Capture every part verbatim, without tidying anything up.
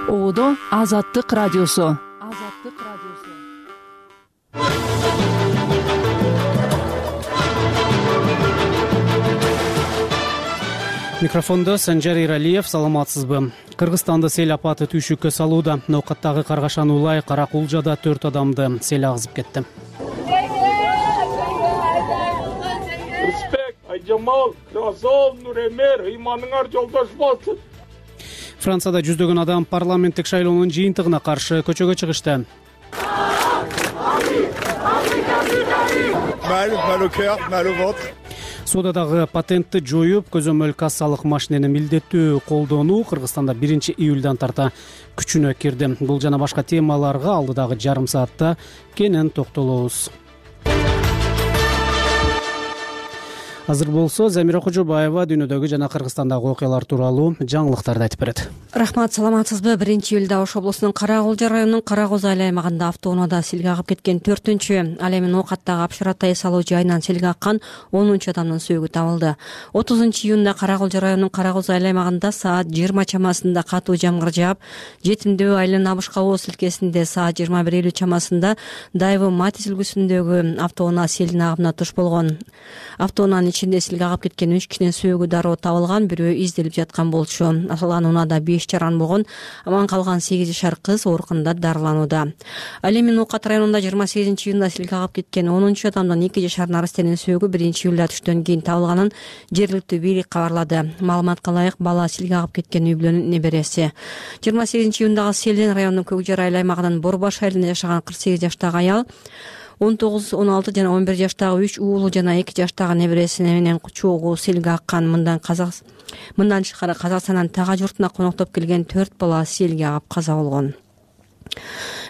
Оодо Азаттык радиосу. Азаттык радиосу. Микрофондо Санжар Иралиев. Саламатсызбы? Кыргызстанды сел апаты түйшүккө салууда. Ноокаттагы Каргашан Улай Каракулжада төрт адамды сел агызып кетти. Успек, Айжамал, Красов, Нуремер, ыйманыңар жолдош болсун. Францияда жүздөгөн адам парламенттик шайлоонун жыйынтыгына каршы көчөгө чыгышты. Соодадагы патентти жоюп, көзөмөл кассалык машинени милдеттүү колдонуу Кыргызстанда биринчи июлдан тарта күчүнө кирди. Бул жана башка темаларга алдыдагы жарым саатта кенен токтолобуз. Азыр болсо Замира Кожобаева дүйнөдөгү жана Кыргызстандагы окуялар тууралуу жаңылыктарды айтып берет. Рахмат, саламатсызбы? биринчи июлда Ош облусунун Каракулжа районунун Кара Козу айыл аймагында автоунаада селге агып кеткен төртүнчү, ал эми Ноокаттагы Апшаратай салуу жайынан селге аккан онунчу адамдын сөөгү табылды. отузунчу июнда Каракулжа районунун Кара Козу айыл аймагында саат жыйырма чамасында катуу жамгыр жаап, Жетимдөө айылынын Абышкабоо силкесинде саат жыйырма бир элүү чамасында Дайвы Матис үлгүсүндөгү автоунаа селдин агымына туш болгон. Автоунаанын ичинде селге агып кеткен үч кишинин сөөгү дароо табылган, бирөө изделип жаткан болчу. Аталган унаада беш жаран болгон, аман калган сегиз жашар кыз оорукунда дарыланууда. Ал эми Ноокат районунда жыйырма сегизинчи июнда селге агып кеткен онунчу адамдын эки жашар нарастенин сөөгү биринчи июлда түштөн кийин табылганын жергиликтүү бийлик кабарлады. Маалыматка ылайык, бала селге агып кеткен үй бүлөнүн небереси. жыйырма сегизинчи июндагы селден райондун Көкжар айыл аймагынын Борбаш айылында жашаган кырк сегиз жаштагы аял он тогуз, он алты жана он бир жаштагы үч уулу жана эки жаштагы небереси менен чогуу селге аккан. Мындан казак мындан тышкары Казакстандын Тага журтуна коноктоп келген төрт бала селге агып каза болгон.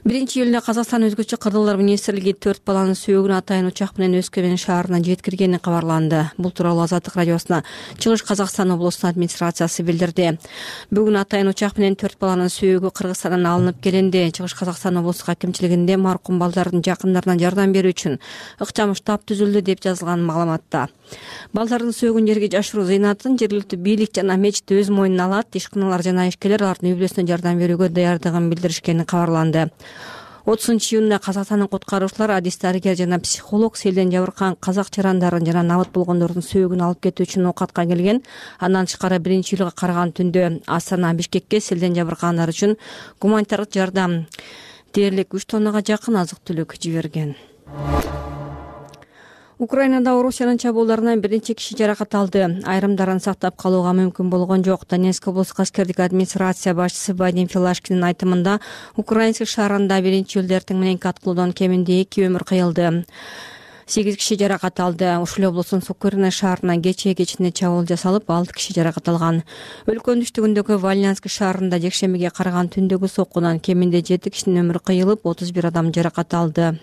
биринчи июлда Казакстан өзгөчө кырдырлар министрлиги төрт баланын сөөгүн атайын учак менен Өскөмен шаарына жеткиргени кабарланды. Бул тууралуу Азаттык радиосуна Чыгыш Казакстан облусунун администрациясы билдирди. Бүгүн атайын учак менен төрт баланын сөөгү Кыргызстандан алынып келинди. Чыгыш Казакстан облустук акимчилигинде маркум балдардын жакындарына жардам берүү үчүн ыкчам штаб түзүлдү деп жазылган маалыматта. Балдардын сөөгүн жерге жашыруу зыйнатын жергиликтүү бийлик жана мечит өз мойнуна алат. Ишканалар жана ишкерлер алардын үй бүлөсүнө жардам берүүгө даярдыгын билдиришкени кабарланды. отузунчу июнда Казакстандын куткаруучулар, адис дарыгер жана психолог селден жабыркаган казак жарандарын жана набыт болгондордун сөөгүн алып кетүү үчүн Ноокатка келген. Андан тышкары биринчи июлга караган түндө Астана, Бишкекке селден жабыркагандар үчүн гуманитардык жардам дээрлик үч тоннага жакын азык-түлүк жиберген. Украинада Орусиянын чабуулдарынан биринчи киши жаракат алды. Айрымдарын сактап калууга мүмкүн болгон жок. Донецк облустук аскердик администрация башчысы Вадим Филашкинин айтымында, Украинск шаарында биринчи июлда эртең мененки аткылуудан кеминде эки өмүр кыйылды. сегиз киши жаракат алды. Ушул облустун Сокурино шаарына кечээ кечинде чабуул жасалып, алты киши жаракат алган. Өлкөнүн түштүгүндөгү Вальнянск шаарында жекшембиге караган түндөгү соккунан кеминде жети кишинин өмүрү кыйылып, отуз бир адам жаракат алды.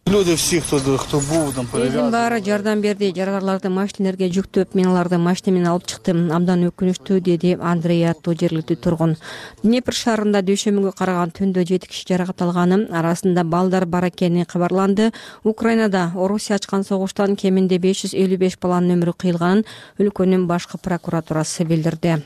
Люди все, кто, кто был там повязан. Элдин баары жардам берди. Жараларларды машинелерге жүктөп, мен аларды машина менен алып чыктым. Абдан өкүнүчтүү, деди Андрей аттуу жергиликтүү тургун. Днепр шаарында дүйшөмбүгө караган түндө жети киши жаракат алганы, арасында балдар бар экени кабарланды. Украинада Орусия ачкан согуштан кеминде беш жүз элүү беш баланын өмүрү кыйылганын өлкөнүн башкы прокуратурасы билдирди.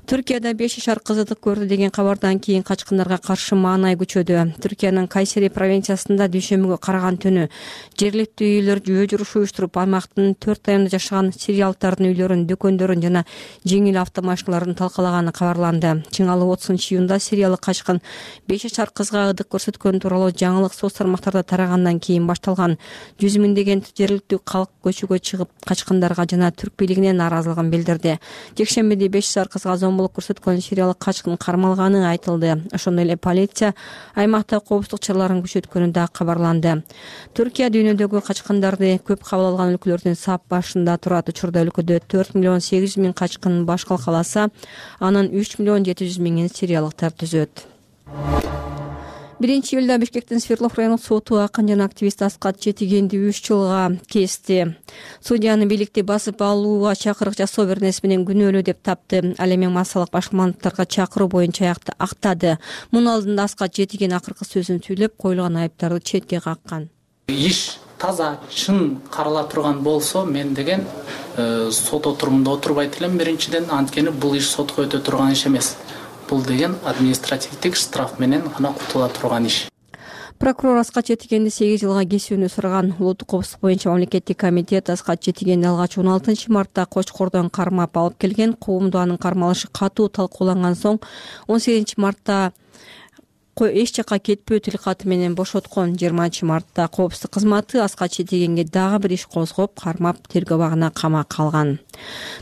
Түркияда беш жашар кыз ытык көрдү деген кабардан кийин качкындарга каршы маанай күчөдү. Түркиянын Кайсери провинциясында дүйшөмбүгө караган түнү жергиликтүү үйлөр жөө журуш уюштуруп, аймактын төрт районунда жашаган сириялыктардын үйлөрүн, дүкөндөрүн жана жеңил автомашиналарын талкалаганы кабарланды. Чыңалуу отузунчу июнда сириялык качкын беш жашар кызга ыдык көрсөткөн тууралуу жаңылык соц тармактарда тарагандан кийин башталган. Жүз миңдеген жергиликтүү калк көчөгө чыгып, качкындарга жана түрк бийлигине нааразылыгын билдирди. Жекшембиде беш жашар кызга зомбулук көрсөткөн сириялык качкын кармалганы айтылды. Ошондой эле полиция аймакта коопсуздук чараларын күчөткөнү да кабарланды. Түркия дүйнөдөгү качкындарды көп кабыл алган өлкөлөрдүн сап башында турат. Учурда өлкөдө төрт миллион сегиз жүз миң качкын баш калкаласа, анын үч миллион жети жүз миңин сириялыктар түзөт. биринчи июлда Бишкектин Свердлов райондук соту акын жана активист Аскат Четигенди үч жылга кести. Судьяны бийликти басып алууга чакырык жасоо беренеси менен күнөөлүү деп тапты. Ал эми массалык башкармалыктарга чакыруу боюнча актады. Мунун алдында Аскат Четиген акыркы сөзүн сүйлөп, коюлган айыптарды четке каккан. Иш таза чын карала турган болсо, мен деген сот отурумунда отурбайт элем биринчиден, анткени бул иш сотко өтө турган иш эмес. бул деген административдик штраф менен гана кутула турган иш. Прокурор Аскат Четигенди сегиз жылга кесүүнү сураган. Улуттук коопсуздук боюнча мамлекеттик комитет Аскат Четигенди алгач он алтынчы мартта Кочкордон кармап алып келген. Коомдо анын кармалышы катуу талкууланган соң он сегизинчи мартта эч жака кетпөө тилкаты менен бошоткон. жыйырманчы мартта коопсуздук кызматы Аскат Четигенге дагы бир иш козгоп, кармап тергөө абагына камакка алган.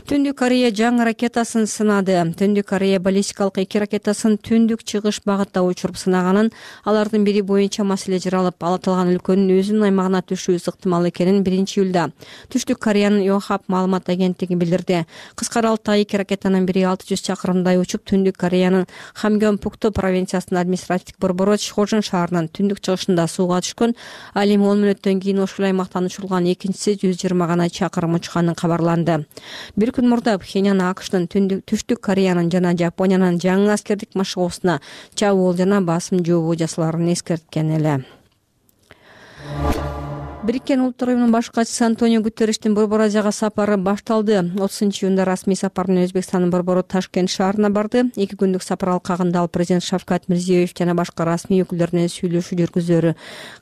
Түндүк Корея жаңы ракетасын сынады. Түндүк Корея баллистикалык эки ракетасын түндүк чыгыш багытта учуруп сынаганын, алардын бири боюнча маселе жаралып, ал аталган өлкөнүн өзүнүн аймагына түшүүсү ыктымал экенин биринчи июлда Түштүк Кореянын Йохап маалымат агенттиги билдирди. Кыска аралыкта эки ракетанын бири алты жүз чакырымдай учуп, Түндүк Кореянын Хамгёнпукто провинциясынын административдик борбору Чхожун шаарынын түндүк чыгышында сууга түшкөн. Ал эми он мүнөттөн кийин ошол аймактан учурулган экинчиси жүз жыйырма гана чакырым учканын кабарланды. Бир күн мурда Пхеньян АКШтын Түштүк Кореянын жана Жапониянын жаңы аскердик машыгуусуна чабуул жана басым жообу жасаларын эскерткен эле. Бириккен Улуттар уюмунун баш катчысы Антонио Гутерриштин Борбор Азияга сапары башталды. отузунчу июнда расмий сапар менен Өзбекстандын борбору Ташкент шаарына барды. Эки күндүк сапар алкагында ал президент Шавкат Мирзиёев жана башка расмий өкүлдөр менен сүйлөшүү жүргүзөрү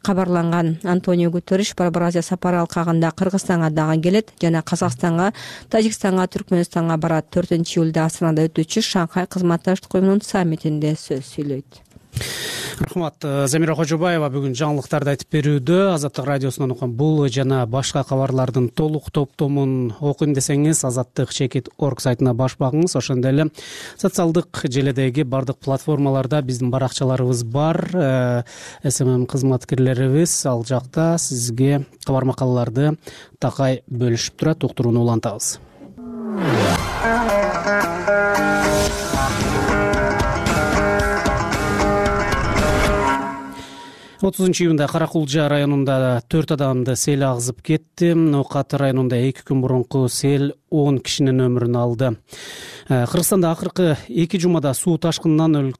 кабарланган. Антонио Гутерриш Борбор Азия сапары алкагында Кыргызстанга дагы келет жана Казакстанга, Тажикстанга, Түркмөнстанга барат. төртүнчү июлда Астанада өтүүчү Шанхай кызматташтык уюмунун саммитинде сөз сүйлөйт. Рахмат. Замира Кожобаева бүгүн жаңылыктарды айтып берүүдө. Азаттык радиосунан окуган бул жана башка кабарлардын толук топтомун окуйм десеңиз азаттык чекит точка орг сайтына баш багыңыз. Ошондой эле социалдык желедеги бардык платформаларда биздин баракчаларыбыз бар. эс эм эм кызматкерлерибиз ал жакта сизге кабар макалаларды такай бөлүшүп турат. Уктурууну улантабыз. отузунчу июнда Каракулжа районунда төрт адамды сел агызып кетти. Ноокат районунда эки күн мурунку сел он кишинин өмүрүн алды. Кыргызстанда акыркы эки жумада суу ташкынынан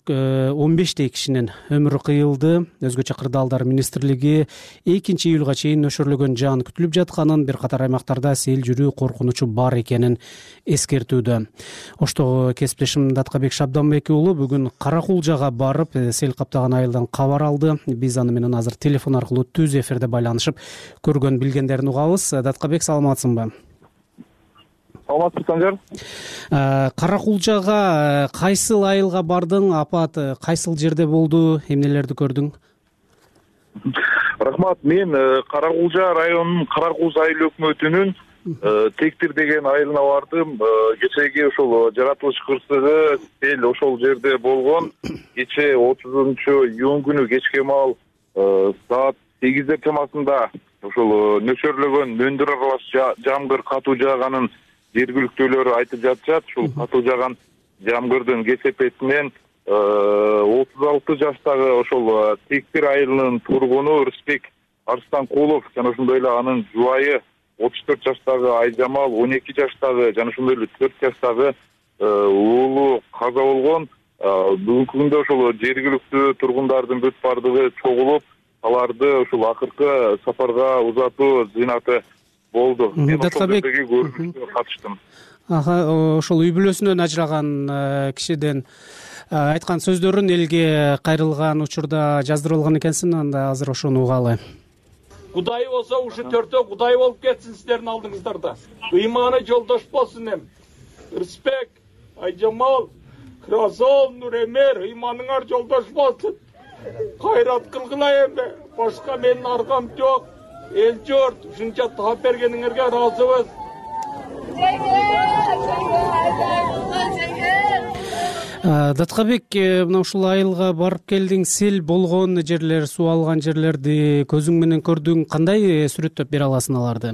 он бештей кишинин өмүрү кыйылды. Өзгөчө кырдаалдар министрлиги экинчи июлга чейин нөшөрлөгөн жаан күтүлүп жатканын, бир катар аймактарда сел жүрүү коркунучу бар экенин эскертүүдө. Оштогу кесиптешим Даткабек Шабданбек уулу бүгүн Каракулжага барып, сел каптаган айылдан кабар алды. Биз аны менен азыр телефон аркылуу түз эфирде байланышып, көргөн билгендерин угабыз. Даткабек, саламатсыңбы? Саламатсызбы, Санжар. Каракулжага кайсыл айылга бардың? Апат кайсыл жерде болду? Эмнелерди көрдүң? Рахмат. Мен Каракулжа районунун Каракуз айыл өкмөтүнүн Тектир деген айылына бардым. Кечеги ошол жаратылыш кырсыгы сел ошол жерде болгон. Кече отузунчу июнь күнү кечке маал саат сегиздер чамасында ошол нөчөрлөгөн мөндүр аралаш жамгыр катуу жааганын жергиликтүүлөр айтып жатышат. Ушул катуу жааган жамгырдын кесепетинен отуз алты жаштагы ошол Тектир айылынын тургуну Рысбек Арстанкулов жана ошондой эле анын жубайы отуз төрт жаштагы Айжамал, он эки жаштагы жана ошондой эле төрт жаштагы уулу каза болгон. Бүгүнкү күндө ошол жергиликтүү тургундардын бүт бардыгы чогулуп, аларды ошол акыркы сапарга узатуу зыйнаты болду. Мен ошол жердеги көрүнүшкө катыштым. Ошол үй бүлөсүнөн ажыраган кишиден айткан сөздөрүн элге кайрылган учурда жаздырылган экенсиң, анда азыр ошону угалы. Кудай болсо ушу төртөө Кудай болуп кетсин сиздердин алдыңыздарда. Ыйманы жолдош болсун эм. Рысбек, Айжамал, Кразол, Нуремер, ыйманыңар жолдош болсун. Кайрат кылгыла эми. Башка менин аргам жок. Эл журт ушунча таап бергениңерге ыраазыбыз. Даткабек, мына ушул айылга барып келдиң, сел болгон жерлер, суу алган жерлерди көзүң менен көрдүң. Кандай сүрөттөп бере аласың аларды?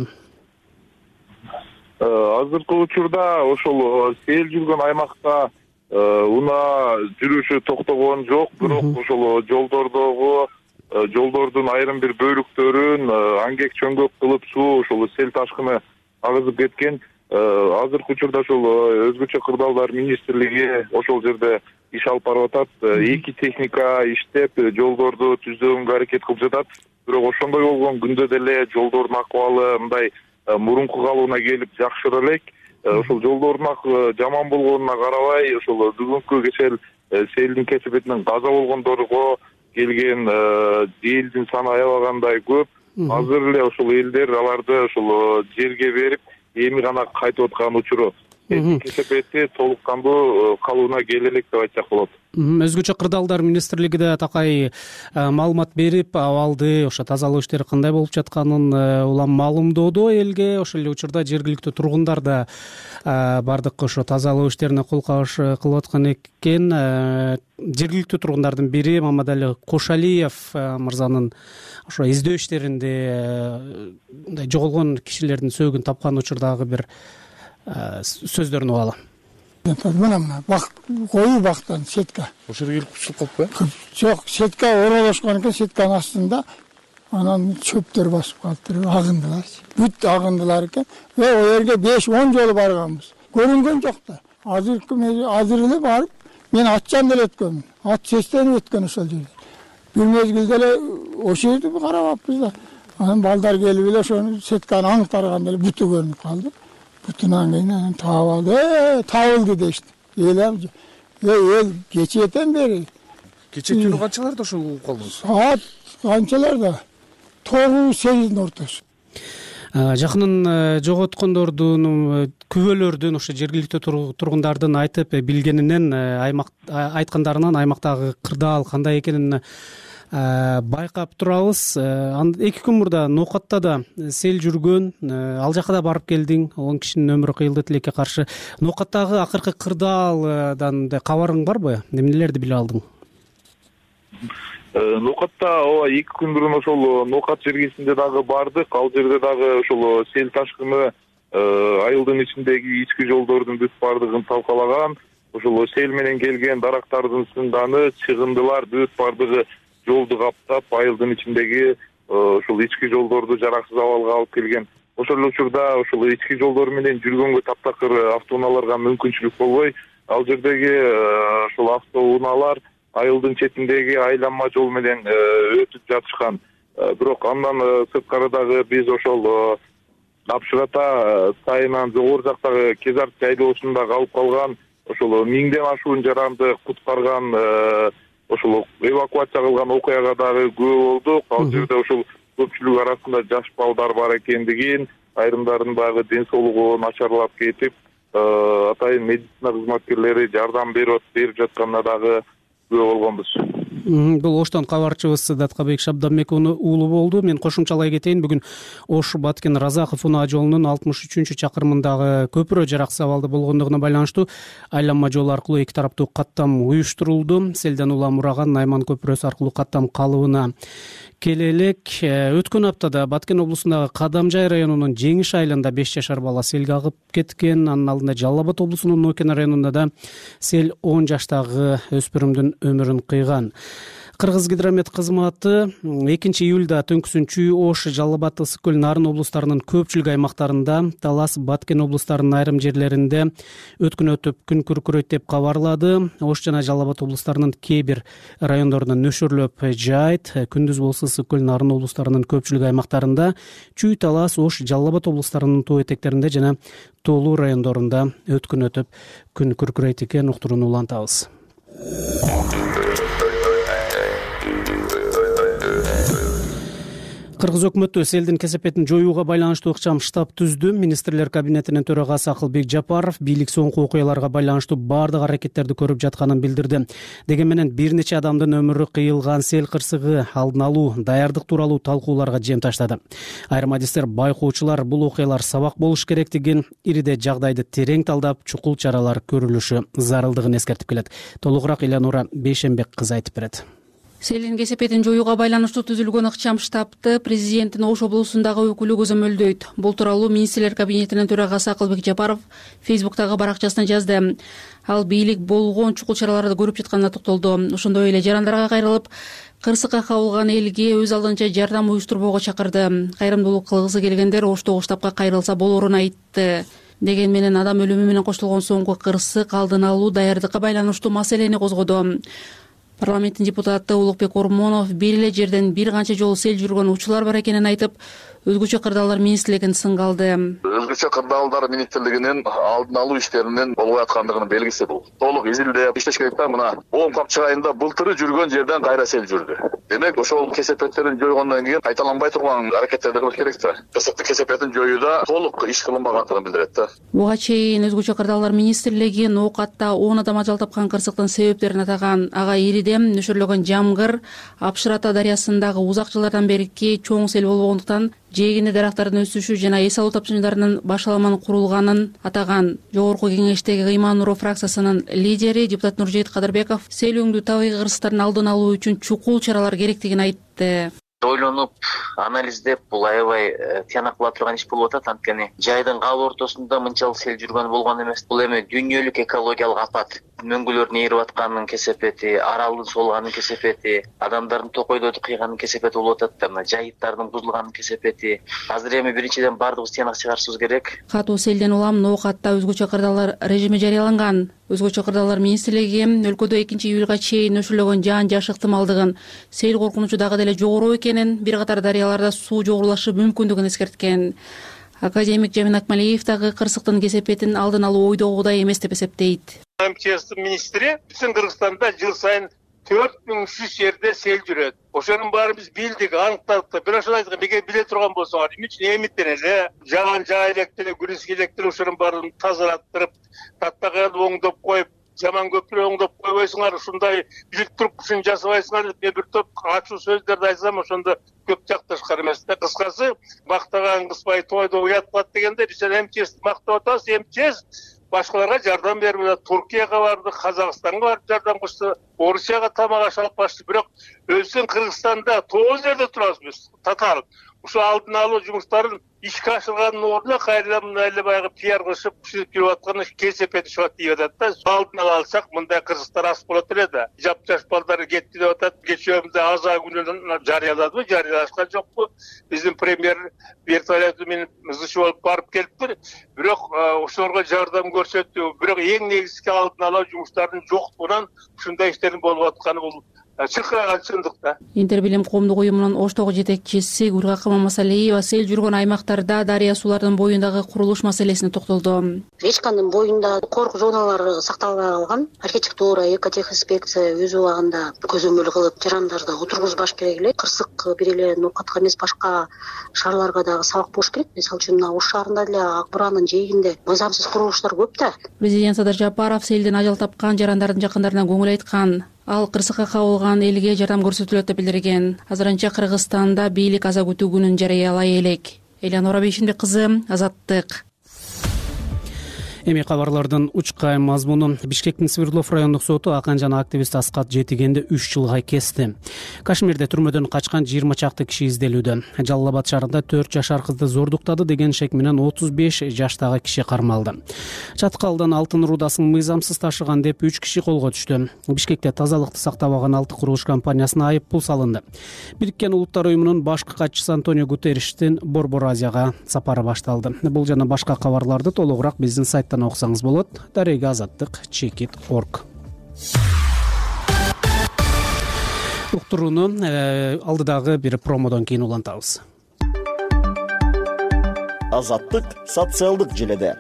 Азыркы учурда ошол сел жүргөн аймакта унаа жүрүшү токтогон жок, бирок ошол жолдордогу жолдордун айрым бир бөлүктөрүн аңгек чөңгөк кылып суу ошол сел ташкыны агызып кеткен. Азыркы учурда ошол өзгөчө кырдаалдар министрлиги ошол жерде иш алып барып атат. Эки техника иштеп жолдорду түздөгөнгө аракет кылып жатат. Бирок ошондой болгон күндө деле жолдордун акыбалы мындай мурунку калыбына келип жакшыра элек. ошол жолдордун жаман болгонуна карабай ошол бүгүнкү кечээ селдин кесепетинен каза болгондорго келген элдин саны аябагандай көп. Азыр эле ошол элдер аларды ошол жерге берип эми гана кайтып аткан учуру. Кесепети толук кандуу калыбына келе элек деп айтсак болот. Өзгөчө кырдаалдар министрлиги да такай маалымат берип, абалды ошо тазалоо иштери кандай болуп жатканын улам маалымдоодо элге. Ошол эле учурда жергиликтүү тургундар да бардык ошо тазалоо иштерине кол кабыш кылып аткан экен. Жергиликтүү тургундардын бири Мамадали Кошалиев мырзанын ошо издөө иштеринде мындай жоголгон кишилердин сөөгүн тапкан учурдагы бир сөздөрүн угалы. Мына мына бак коюу бактан сетка. Ошол жерге келип кучулуп калыппы? Жок, сетка оролошкон экен, сетканын астында анан чөптөр басып калыптыр, агындылар. Бүт агындылар экен. Ve o yerге беш он жолу барганбыз. Көрүнгөн жок да. Азыр азыр эле барып, мен атчан деле өткөнмүн. Ат сестенип өткөн ошол жерде. Бир мезгилде эле ошол жерди карабаппыз да. Анан балдар келип эле ошону сетканы аңтарганда эле буту көрүнүп калды. Бүтүнөн кийин таап алды. Э, табылды дешти. Эл эл кечээден бери. Кечээ түнү канчаларда ошол угуп калдыңыз? Саат канчаларда? тогуз сегиздин ортосу. Жакынын жоготкондордун, күбөлөрдүн, ошо жергиликтүү тургундардын айтып билгенинен, аймак айткандарынан аймактагы кырдаал кандай экенин байкап турабыз. Эки күн мурда Ноокатта да сел жүргөн, ал жака да барып келдиң, он кишинин өмүрү кыйылды тилекке каршы. Ноокаттагы акыркы кырдаалдан кабарың барбы? Эмнелерди биле алдың? Ноокатта ооба эки күн бурун ошол Ноокат жергесинде дагы бардык. Ал жерде дагы ошол сел ташкыны айылдын ичиндеги ички жолдордун бүт бардыгын талкалаган. Ошол сел менен келген дарактардын сынданы, чыгындылар бүт бардыгы жолду каптап, айылдын ичиндеги ошол ички жолдорду жараксыз абалга алып келген. Ошол эле учурда ошол ички жолдор менен жүргөнгө таптакыр автоунааларга мүмкүнчүлүк болбой, ал жердеги ошол автоунаалар айылдын четиндеги айланма жол менен өтүп жатышкан. Бирок андан сырткары дагы биз ошол Апшырата сайынан жогору жактагы Кезар жайлоосунда калып калган ошол миңден ашуун жаранды куткарган, ошол эвакуация кылган окуяга дагы күбө болдук. Ал жерде ошол көпчүлүк арасында жаш балдар бар экендигин, айрымдарынын дагы ден соолугу начарлап кетип, атайын медицина кызматкерлери жардам берип жатканына дагы күбө болгонбуз. Бул Оштон кабарчыбыз Даткабек Шабданбек уулу болду. Мен кошумчалай кетейин. Бүгүн Ош Баткен Разаков унаа жолунун алтымыш үчүнчү чакырымындагы көпүрө жараксыз абалда болгондугуна байланыштуу айланма жол аркылуу эки тараптуу каттам уюштурулду. Селден улам ураган Найман көпүрөсү аркылуу каттам калыбына келе элек. Өткөн аптада Баткен облусундагы Кадамжай районунун Жеңиш айылында беш жашар бала селге агып кеткен. Анын алдында Жалал Абад облусунун Нокен районунда да сел он жаштагы өспүрүмдүн өмүрүн кыйган. Кыргыз гидромет кызматы экинчи июлда төңкүсүнчү Ош, Жалал Абад, Ысык көл, Нарын облустарынын көпчүлүк аймактарында, Талас, Баткен облустарынын айрым жерлеринде өткөн өтүп күн күркүрөйт деп кабарлады. Ош жана Жалал Абад облустарынын кээ бир райондорунда нөшөрлөп жаайт. Күндүз болсо Ысык көл, Нарын облустарынын көпчүлүк аймактарында, Чүй, Талас, Ош, Жалал Абад облустарынын тоо этектеринде жана Тоолуу райондорунда өткөн өтүп күн күркүрөйт экен. Уктурууну улантабыз. Кыргыз өкмөтү селдин кесепетин жоюуга байланыштуу ыкчам штаб түздү. Министрлер кабинетинин төрагасы Акылбек Жапаров бийлик соңку окуяларга байланыштуу бардык аракеттерди көрүп жатканын билдирди. Дегени менен бир нече адамдын өмүрү кыйылган сел кырсыгы алдын алуу, даярдык тууралуу талкууларга жем таштады. Айрым адистер, байкоочулар бул окуялар сабак болуш керектигин, ириде жагдайды терең талдап, чукул чаралар көрүлүшү зарылдыгын эскертип келет. Толугураак Элянура Бейшенбек кызы айтып берет. Селдин кесепетин жоюуга байланыштуу түзүлгөн ыкчам штабты президенттин Ош облусундагы өкүлү көзөмөлдөйт. Бул тууралуу министрлер кабинетинин төрагасы Акылбек Жапаров Фейсбуктагы баракчасына жазды. Ал бийлик болгон чукул чараларды көрүп жатканына токтолду. Ошондой эле жарандарга кайрылып, кырсыкка кабылган элге өз алдынча жардам уюштурбоого чакырды. Кайрымдуулук кылгысы келгендер Оштогу штабка кайрылса болоорун айтты. Деген менен адам өлүмү менен коштолгон соңку кырсык алдын алуу, даярдыкка байланыштуу маселени козгоду. Парламенттин депутаты Улукбек Ормонов бир эле жерден бир канча жолу сел жүргөн учурлар бар экенин айтып, өзгөчө кырдаалдар министрлигин сынга алды. өзгөчө кырдаалдар министрлигинин алдын алуу иштеринин болуп аткандыгынын белгиси бул. Толук изилдеп иштеш керек да. Мына он капчык айында былтыры жүргөн жерден кайра сел жүрдү. Демек ошол кесепеттерин жойгондон кийин кайталанбай турган аракеттерди кылыш керек да. Кырсыктын кесепетин жоюуда толук иш кылынбагандыгын билдирет да. Буга чейин өзгөчө кырдаалдар министрлиги ноокатта он адам ажал тапкан кырсыктын себептерин атаган. Ага иридем нөшөрлөгөн жамгыр Апшырата дарыясындагы узак жылдардан берки чоң сел болгондуктан жээгинде дарактардын өсүшү жана эс алуу тапшырыктарынын башаламан курулганын атаган. Жогорку кеңештеги Ыйман Нуров фракциясынын лидери депутат Нуржейит Кадырбеков селөңдүү табигый кырсыктардын алдын алуу үчүн чукул чаралар керектигин айтты. Ойлонуп, анализдеп, бул аябай тыянак кыла турган иш болуп атат. Анткени жайдын кал ортосунда мынчалык сел жүргөн болгон эмес. Бул эми дүйнөлүк экологиялык апат. Мөңгүлөрдүн ээрип атканынын кесепети, аралдын солганынын кесепети, адамдардын токойдорду кыйганынын кесепети болуп атат да. Мына жайыттардын бузулганынын кесепети. Азыр эми биринчиден баардыгыбыз тыянак чыгарышыбыз керек. Катуу селден улам ноокатта өзгөчө кырдаалдар режими жарыяланган. Өзгөчө кырдаалдар министрлиги өлкөдө экинчи июлга чейин нөшөрлөгөн жаан жаш ыктымалдыгын, сел коркунучу дагы деле жогору экенин, бир катар дарыяларда суу жогорулашы мүмкүндүгүн эскерткен. Академик Жамин Акмалиев дагы кырсыктын кесепетин алдын алуу ойдогудай эмес деп эсептейт. эм че эстин министри биздин Кыргызстанда жыл сайын төрт миң үч жүз жерде сел жүрөт. Ошонун баарын биз билдик, аныктадык. Бирок ошону айткан, эгер биле турган болсоңор, эмне үчүн эмиттен эле жаган жай электер, күрүскө электер ошонун баарын тазалаттырып, таттаган оңдоп коюп, жаман көпүрө оңдоп койбойсуңар, ушундай билип туруп ушуну жасабайсыңар деп мен бир топ ачуу сөздөрдү айтсам, ошондо көп жакташкар эмес да. Кыскасы, мактаган кызбай тойдо уят кылат дегенде, биз эм че эсти мактап атабыз. эм че эс башкаларга жардам берип атат. Туркияга барды, Казакстанга барып жардам кылышты, Орусияга тамак аш алып барышты. Бирок өзүбүздүн Кыргызстанда тоғыз жерде турабыз биз, татаал. Ушу алдын алуу жумуштарын ишке ашырганын ордуна кайрадан мына эле баягы пиар кылышып, ушинтип жүрүп атканы кесепет чыгып атат деп атат да. Алдын ала алсак, мындай кырсыктар аз болот эле да. Жап-жаш балдар кетти деп атат. Кечөөмдө аза күнүнөн жарыяладыбы, жарыялашкан жокпу? Биздин премьер вертолеты менен мызычы болуп барып келиптир. Бирок ошолорго жардам көрсөттү. Бирок эң негизги алдын алуу жумуштарынын жоктугунан ушундай иштердин болуп атканы бул чыркыраган чындык да. Интербилим коомдук уюмунун Оштогу жетекчиси Гүлгакы Мамасалиева сел жүргөн аймактарда дарыя суулардын боюндагы курулуш маселесине токтолду. Речканын боюнда корку зоналары сакталбай калган. Архитектура, экотехинспекция өз убагында көзөмөл кылып, жарандарды отургузбаш керек эле. Кырсык бир эле ноокатка эмес, башка шаарларга дагы сабак болуш керек. Мисалы үчүн мына Ош шаарында деле Ак Буранын жээгинде мыйзамсыз курулуштар көп да. Президент Садыр Жапаров селден ажал тапкан жарандардын жакындарына көңүл айткан. Ал кырсыкка кабылган элге жардам көрсөтүлөт деп билдирген. Азырынча Кыргызстанда бийлик аза күтүү күнүн жарыялай элек. Элянора Бейшимбек кызы, Азаттык. Эми кабарлардын учкай мазмуну. Бишкектин Свердлов райондук соту акын жана активист Аскат Жетигенди үч жылга кести. Кашмирде түрмөдөн качкан жыйырма чакты киши изделүүдө. Жалал Абад шаарында төрт жашар кызды зордуктады деген шек менен отуз беш жаштагы киши кармалды. Чаткалдан алтын рудасын мыйзамсыз ташыган деп үч киши колго түштү. Бишкекте тазалыкты сактабаган алты курулуш компаниясына айып пул салынды. Бириккен Улуттар уюмунун башкы катчысы Антонио Гутерриштин Борбор Азияга сапары башталды. Бул жана башка кабарларды толугураак биздин сайт окусаңыз болот. Дарега азаттык чекит точка орг. Уктурууну алдыдагы бир промодон кийин улантабыз. Азаттык социалдык желеде.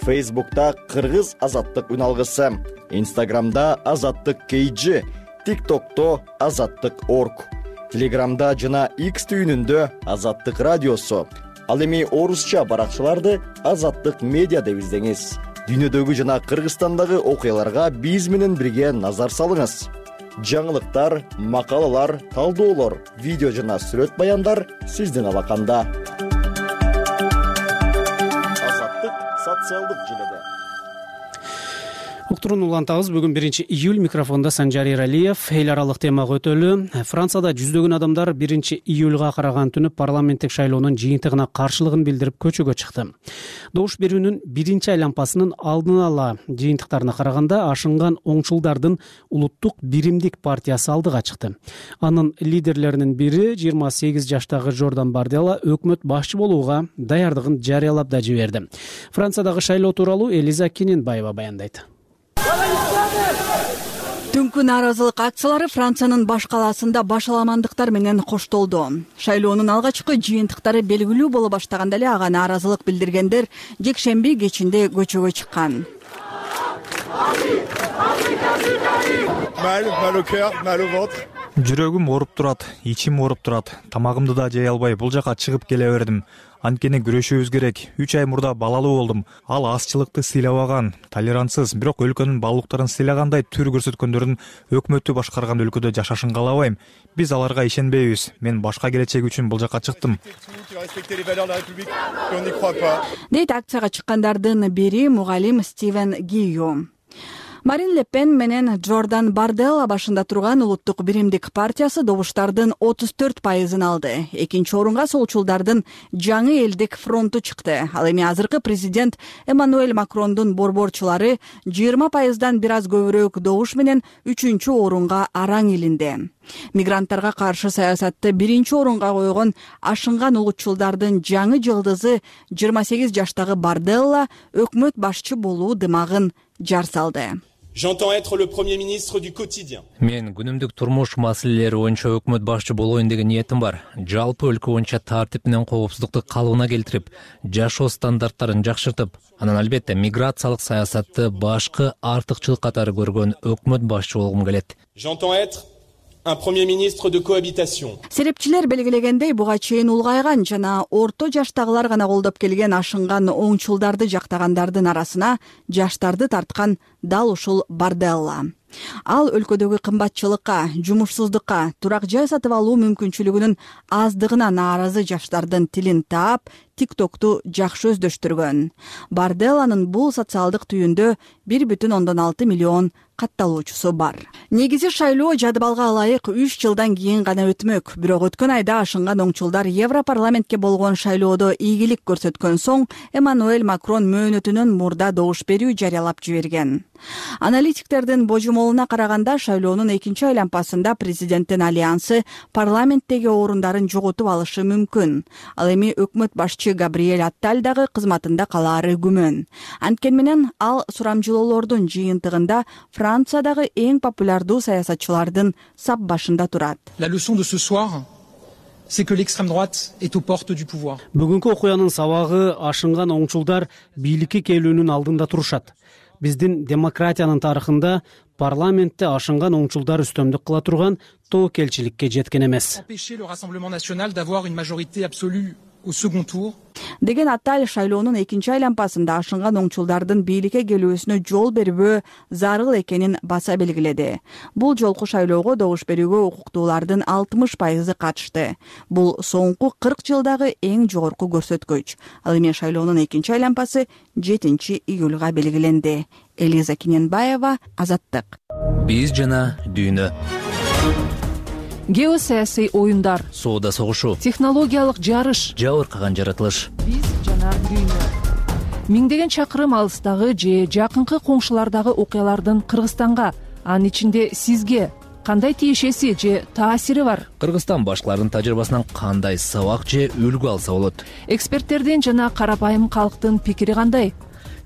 Фейсбукта Кыргыз азаттык үналгысы, Инстаграмда азаттык кей джи, ТикТокто азаттык точка орг, Телеграмда жана X түйүнүндө азаттык радиосу. Ал эми орусча баракчаларды азаттык медиа деп издеңиз. Дүйнөдөгү жана Кыргызстандагы окуяларга биз менен бирге назар салыңыз. Жаңылыктар, макалалар, талдоолор, видео жана сүрөт баяндар сиздин алаканда. Азаттык социалдык желеде. Уктурууну улантабыз. Бүгүн биринчи июль, микрофонда Санжар Эралиев. Эл аралык темага өтөлү. Францияда жүздөгөн адамдар биринчи июлга караган түнү парламенттик шайлоонун жыйынтыгына каршылыгын билдирип көчөгө чыкты. Добуш берүүнүн биринчи айланпасынын алдын ала жыйынтыктарына караганда ашынган оңчулдардын Улуттук биримдик партиясы алдыга чыкты. Анын лидерлеринин бири жыйырма сегиз жаштагы Жордан Бардella өкмөт башчы болууга даярдыгын жарыялап да жиберди. Франциядагы шайлоо тууралуу Элиза Кененбаева баяндайт. Түнкү нааразылык акциялары Франциянын баш калаасында башаламандыктар менен коштолду. Шайлоонун алгачкы жыйынтыктары белгилүү боло баштаганда эле ага нааразылык билдиргендер жекшемби кечинде көчөгө чыккан. Жүрөгүм ооруп турат, ичим ооруп турат. Тамагымды да жей албай бул жака чыгып келе бердим. Анткени күрөшүүбүз керек. үч ай мурда балалуу болдум. Ал азчылыкты сыйлабаган, толерантсыз, бирок өлкөнүн баалуулуктарын сыйлагандай түр көрсөткөндөрдүн өкмөттү башкарган өлкөдө жашашын каалабайм. Биз аларга ишенбейбиз. Мен башка келечек үчүн бул жака чыктым. Дейт акцияга чыккандардын бири мугалим Стивен Гийо. Марин Ле Пен менен Джордан Барделла башында турган Улуттук биримдик партиясы добуштардын отуз төрт пайызын алды. Экинчи орунга солчулдардын жаңы элдик фронту чыкты. Ал эми азыркы президент Эммануэль Макрондун борборчулары жыйырма пайыздан бир аз көбүрөөк добуш менен үчүнчү орунга араң илинди. Мигранттарга каршы саясатты биринчи орунга койгон ашынган улутчулдардын жаңы жылдызы жыйырма сегиз жаштагы Барделла өкмөт башчы болуу дымагын жар салды. J'entends être le premier ministre du quotidien. Мен күнүмдүк турмуш маселелери боюнча өкмөт башчы болоюн деген ниетим бар. Жалпы өлкө боюнча тартип менен коопсуздукту калыбына келтирип, жашоо стандарттарын жакшыртып, анан албетте миграциялык саясатты башкы артыкчылык катары көргөн өкмөт башчы болгум келет. J'entends être un premier ministre de cohabitation. Серепчилер белгилегендей, буга чейин улгайган жана орто жаштагылар гана колдоп келген ашынган оңчулдарды жактагандардын арасына жаштарды тарткан дал ушул Барделла. Ал өлкөдөгү кымбатчылыкка, жумушсуздукка, турак жай сатып алуу мүмкүнчүлүгүнүн аздыгына нааразы жаштардын тилин таап, тиктокту жакшы өздөштүргөн. Барделланын бул социалдык түйүндө бир бүтүн ондон алты миллион катталуучусу бар. Негизи шайлоо жадыбалга ылайык үч жылдан кийин гана өтмөк. Бирок өткөн айда ашынган оңчулдар Европарламентке болгон шайлоодо ийгилик көрсөткөн соң Эммануэль Макрон мөөнөтүнөн мурда добуш берүү жарыялап жиберген. Аналитиктердин божомолуна караганда шайлоонун экинчи айланпасында президенттин альянсы парламенттеги орундарын жоготуп алышы мүмкүн. Ал эми өкмөт башчы Габриэль Атталь дагы кызматында калаары күмөн. Анткени менен ал сурамжылоолордун жыйынтыгында Франциядагы эң популярдуу саясатчылардын сап башында турат. La leçon de ce soir, c'est que l'extrême droite est aux portes du pouvoir. Бүгүнкү окуянын сабагы ашынган оңчулдар бийликке келүүнүн алдында турушат. Биздин демократиянын тарыхында парламентте ашынган оңчулдар үстөмдүк кыла турган тобокелчиликке жеткен эмес. Empêcher le Rassemblement national d'avoir une majorité absolue au second tour. Деген Атталь шайлоонун экинчи айланпасында ашынган оңчулдардын бийликке келүүсүнө жол бербөө зарыл экенин баса белгиледи. Бул жолку шайлоого добуш берүүгө укуктуулардын алтымыш пайызы катышты. Бул соңку кырк жылдагы эң жогорку көрсөткүч. Ал эми шайлоонун экинчи айланпасы жетинчи июлга белгиленди. Элиза Киненбаева, Азаттык. Биз жана дүйнө. Геосаясий оюндар, соода согушу, технологиялык жарыш, жабыркаган жаратылыш. Биз жана дүйнө. Миңдеген чакырым алыстагы же жакынкы коңшулардагы окуялардын Кыргызстанга, анын ичинде сизге кандай тиешеси же таасири бар? Кыргызстан башкалардын тажрыйбасынан кандай сабак же үлгү алса болот? Эксперттердин жана карапайым калктын пикири кандай?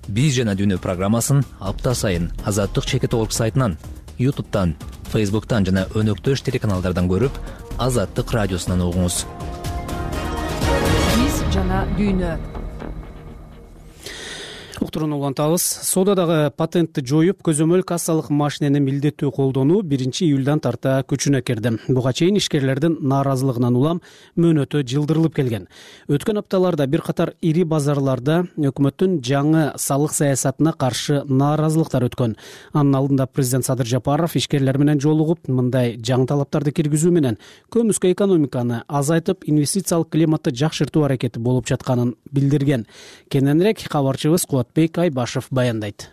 Биз жана дүйнө программасын апта сайын Азаттык чекит орг сайтынан, ютубтан, фейсбуктан жана өнөктөш телеканалдардан көрүп, Азаттык радиосунан угуңуз. Биз жана дүйнө. Уктуруну улантабыз. Соодадагы патентти жоюп, көзөмөл кассалык машинени милдеттүү колдонуу биринчи июлдан тарта күчүнө кирди. Буга чейин ишкерлердин нааразылыгынан улам мөөнөтү жылдырылып келген. Өткөн апталарда бир катар ири базарларда өкмөттүн жаңы салык саясатына каршы нааразылыктар өткөн. Анын алдында президент Садыр Жапаров ишкерлер менен жолугуп, мындай жаңы талаптарды киргизүү менен көмүскө экономиканы азайтып, инвестициялык климатты жакшыртуу аракети болуп жатканын билдирген. Кененирээк кабарчыбыз Бек Айбашев баяндайт.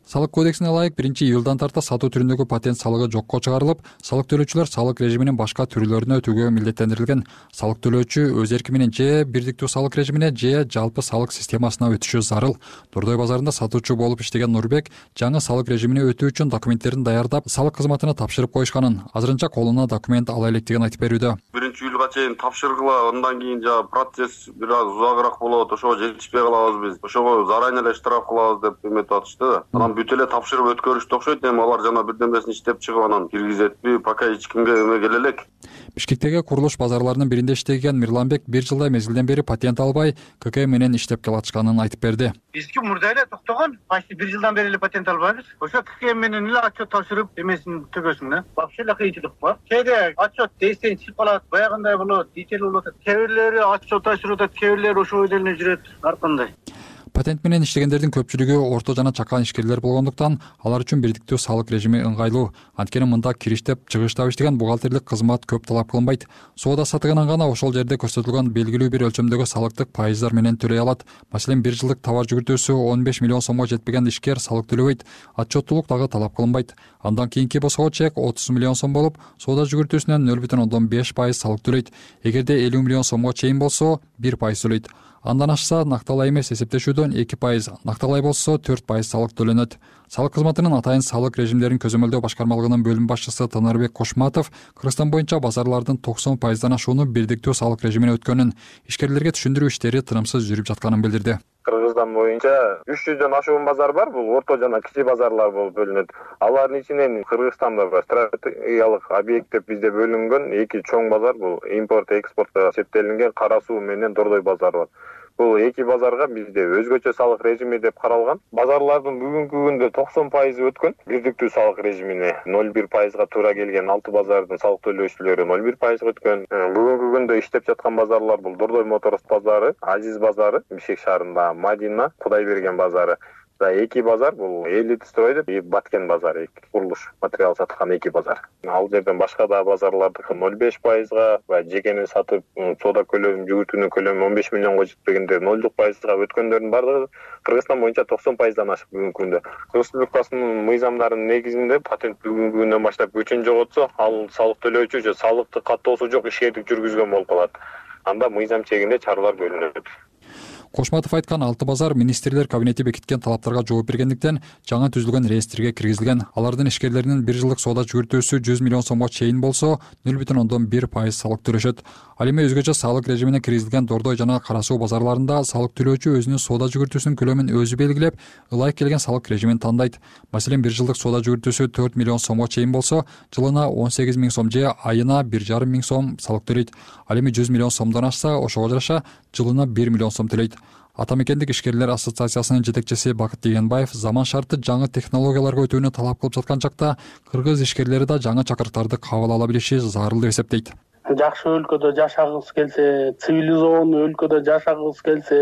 Салык кодексине ылайык биринчи июлдан тарта сатуу түрүндөгү патент салыгы жокко чыгарылып, салык төлөөчүлөр салык режиминин башка түрлөрүнө өтүүгө милдеттендирилген. Салык төлөөчү өз эрки менен же бирдиктүү салык режимине же жалпы салык системасына өтүшү зарыл. Дордой базарында сатуучу болуп иштеген Нурбек жаңы салык режимине өтүү үчүн документтерин даярдап, салык кызматына тапшырып коюшканын, азырынча колуна документ ала электигин айтып берүүдө. биринчи июлга чейин тапшыргыла, андан кийин жана процесс бир аз узагыраак болот, ошого жетишпей калабыз биз. Ошого заранее эле штраф кылабыз деп эметип атышты да. Анан бүт эле тапшырып өткөрүштү окшойт. Эми алар жана бирдемесин иштеп чыгып анан киргизетпи, пока эч кимге эме келе элек. Бишкектеги курулуш базарларынын биринде иштеген Мирланбек бир жылдай мезгилден бери патент албай ка ка эм менен иштеп келатышканын айтып берди. Бизки мурда эле токтогон, почти бир жылдан бери эле патент албайбыз. Ошо ка ка эм менен эле отчет тапшырып эмесин төгөсүң да. Вообще эле кыйынчылык бар. Кээде отчет дейсең чыгып калат, баягындай болот, дичел болуп атат. Кээ бирлери отчет тапшырып атат, кээ бирлери ошол эле жүрөт, ар кандай. Патент менен иштегендердин көпчүлүгү орто жана чакан ишкерлер болгондуктан алар үчүн бирдиктүү салык режими ыңгайлуу. Анткени мында кириштеп, чыгыштап иштеген бухгалтерлик кызмат көп талап кылынбайт. Соода сатыгынан гана ошол жерде көрсөтүлгөн белгилүү бир өлчөмдөгү салыктык пайыздар менен төлөй алат. Маселен, бир жылдык товар жүгүртүүсү он беш миллион сомго жетпеген ишкер салык төлөбөйт. Отчеттуулук дагы талап кылынбайт. Андан кийинки босого чек отуз миллион сом болуп, соода жүгүртүүсүнөн нөл бүтүн ондон беш пайыз салык төлөйт. Эгерде элүү миллион сомго чейин болсо, бир пайыз төлөйт. Андан ашса накталай эмес эсептешүүдөн эки пайыз, накталай болсо төрт пайыз салык төлөнөт. Салык кызматынын атайын салык режимдерин көзөмөлдөө башкармалыгынын бөлүм башчысы Танарбек Кошматов Кыргызстан боюнча базарлардын токсон пайыздан ашууну бирдиктүү салык режимине өткөнүн, ишкерлерге түшүндүрүү иштери тынымсыз жүрүп жатканын билдирди. Кыргызстан боюнча үч жүздөн ашуун базар бар, бул орто жана кичи базарлар болуп бөлүнөт. Алардын ичинен Кыргызстанда стратегиялык объект деп бизде бөлүнгөн эки чоң базар, бул импорт экспортко септелинген Кара Суу менен Дордой базары бар. Бул эки базарга бизде өзгөчө салык режими деп каралган. Базарлардын бүгүнкү күндө токсон пайызы өткөн бирдиктүү салык режимине. ноль бир пайызга туура келген алты базардын салык төлөөчүлөрү ноль бир пайызга өткөн. Бүгүнкү күндө иштеп жаткан базарлар бул Дордой Моторс базары, Азиз базары, Бишкек шаарында Мадина, Кудайберген базары. Эки базар бул Элит строй деп, Баткен базары, курулуш материал саткан эки базар. Ал жерден башка да базарлардыкы ноль беш пайызга, жекени сатып соода көлөмү жүгүртүүнүн көлөмү он беш миллионго жетпегендер нолдук пайызга өткөндөрдүн бардыгы Кыргызстан боюнча токсон пайыздан ашык бүгүнкү күндө. Кыргыз Республикасынын мыйзамдарынын негизинде патент бүгүнкү күндөн баштап күчүн жоготсо, ал салык төлөөчү же салыктык каттоосу жок ишкердик жүргүзгөн болуп калат. Анда мыйзам чегинде чаралар көрүнөт. Кошматов айткан алты базар министрлер кабинети бекиткен талаптарга жооп бергендиктен жаңы түзүлгөн реестрге киргизилген. Алардын ишкерлеринин бир жылдык соода жүгүртүүсү жүз миллион сомго чейин болсо, нөл бүтүн ондон бир пайыз салык төлөшөт. Ал эми өзгөчө салык режимине киргизилген Дордой жана Кара Суу базарларында салык төлөөчү өзүнүн соода жүгүртүүсүнүн көлөмүн өзү белгилеп, ылайык келген салык режимин тандайт. Маселен, бир жылдык соода жүгүртүүсү төрт миллион сомго чейин болсо, жылына он сегиз миң сом же айына бир жарым миң сом салык төлөйт. Ал эми жүз миллион сомдон ашса, ошого жараша жылына бир миллион сом төлөйт. Ата мекендик ишкерлер ассоциациясынын жетекчиси Бакыт Дегенбаев заман шарты жаңы технологияларга өтүүнү талап кылып жаткан жакта кыргыз ишкерлери да жаңы чакырыктарды кабыл ала билиши зарыл деп эсептейт. Жакшы өлкөдө жашагыбыз келсе, цивилизованный өлкөдө жашагыбыз келсе,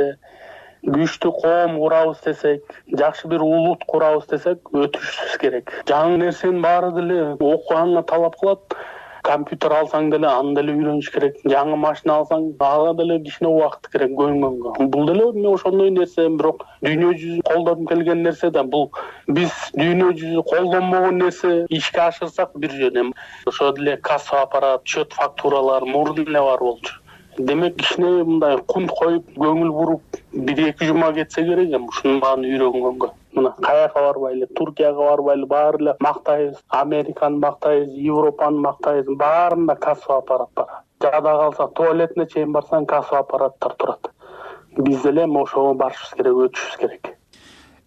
күчтүү коом курабыз десек, жакшы бир улут курабыз десек, өтүшүбүз керек. Жаңы нерсенин баары деле окуганга талап кылат. Компьютер алсаң деле аны деле үйрөнүш керек. Жаңы машина алсаң, ага деле кичине убакыт керек көйгөнгө. Бул деле мен ошондой нерсе, бирок дүйнө жүзү колдонуп келген нерсе да, бул биз дүйнө жүзү колдонбогон нерсе ишке ашырсак бир жөн. Ошо деле касса аппарат, счет фактуралар мурдун эле бар болчу. Демек кичине мындай кунт коюп, көңүл буруп, бир эки жума кетсе керек эми ушунун баарын үйрөнгөнгө. Мына каяка барбайлы, Туркияга барбайлы, баары эле мактайбыз, Американы мактайбыз, Европаны мактайбыз, баарында касса аппарат бар. Жада калса туалетине чейин барсаң касса аппараттар турат. Биз деле ошого барышыбыз керек, өтүшүбүз керек.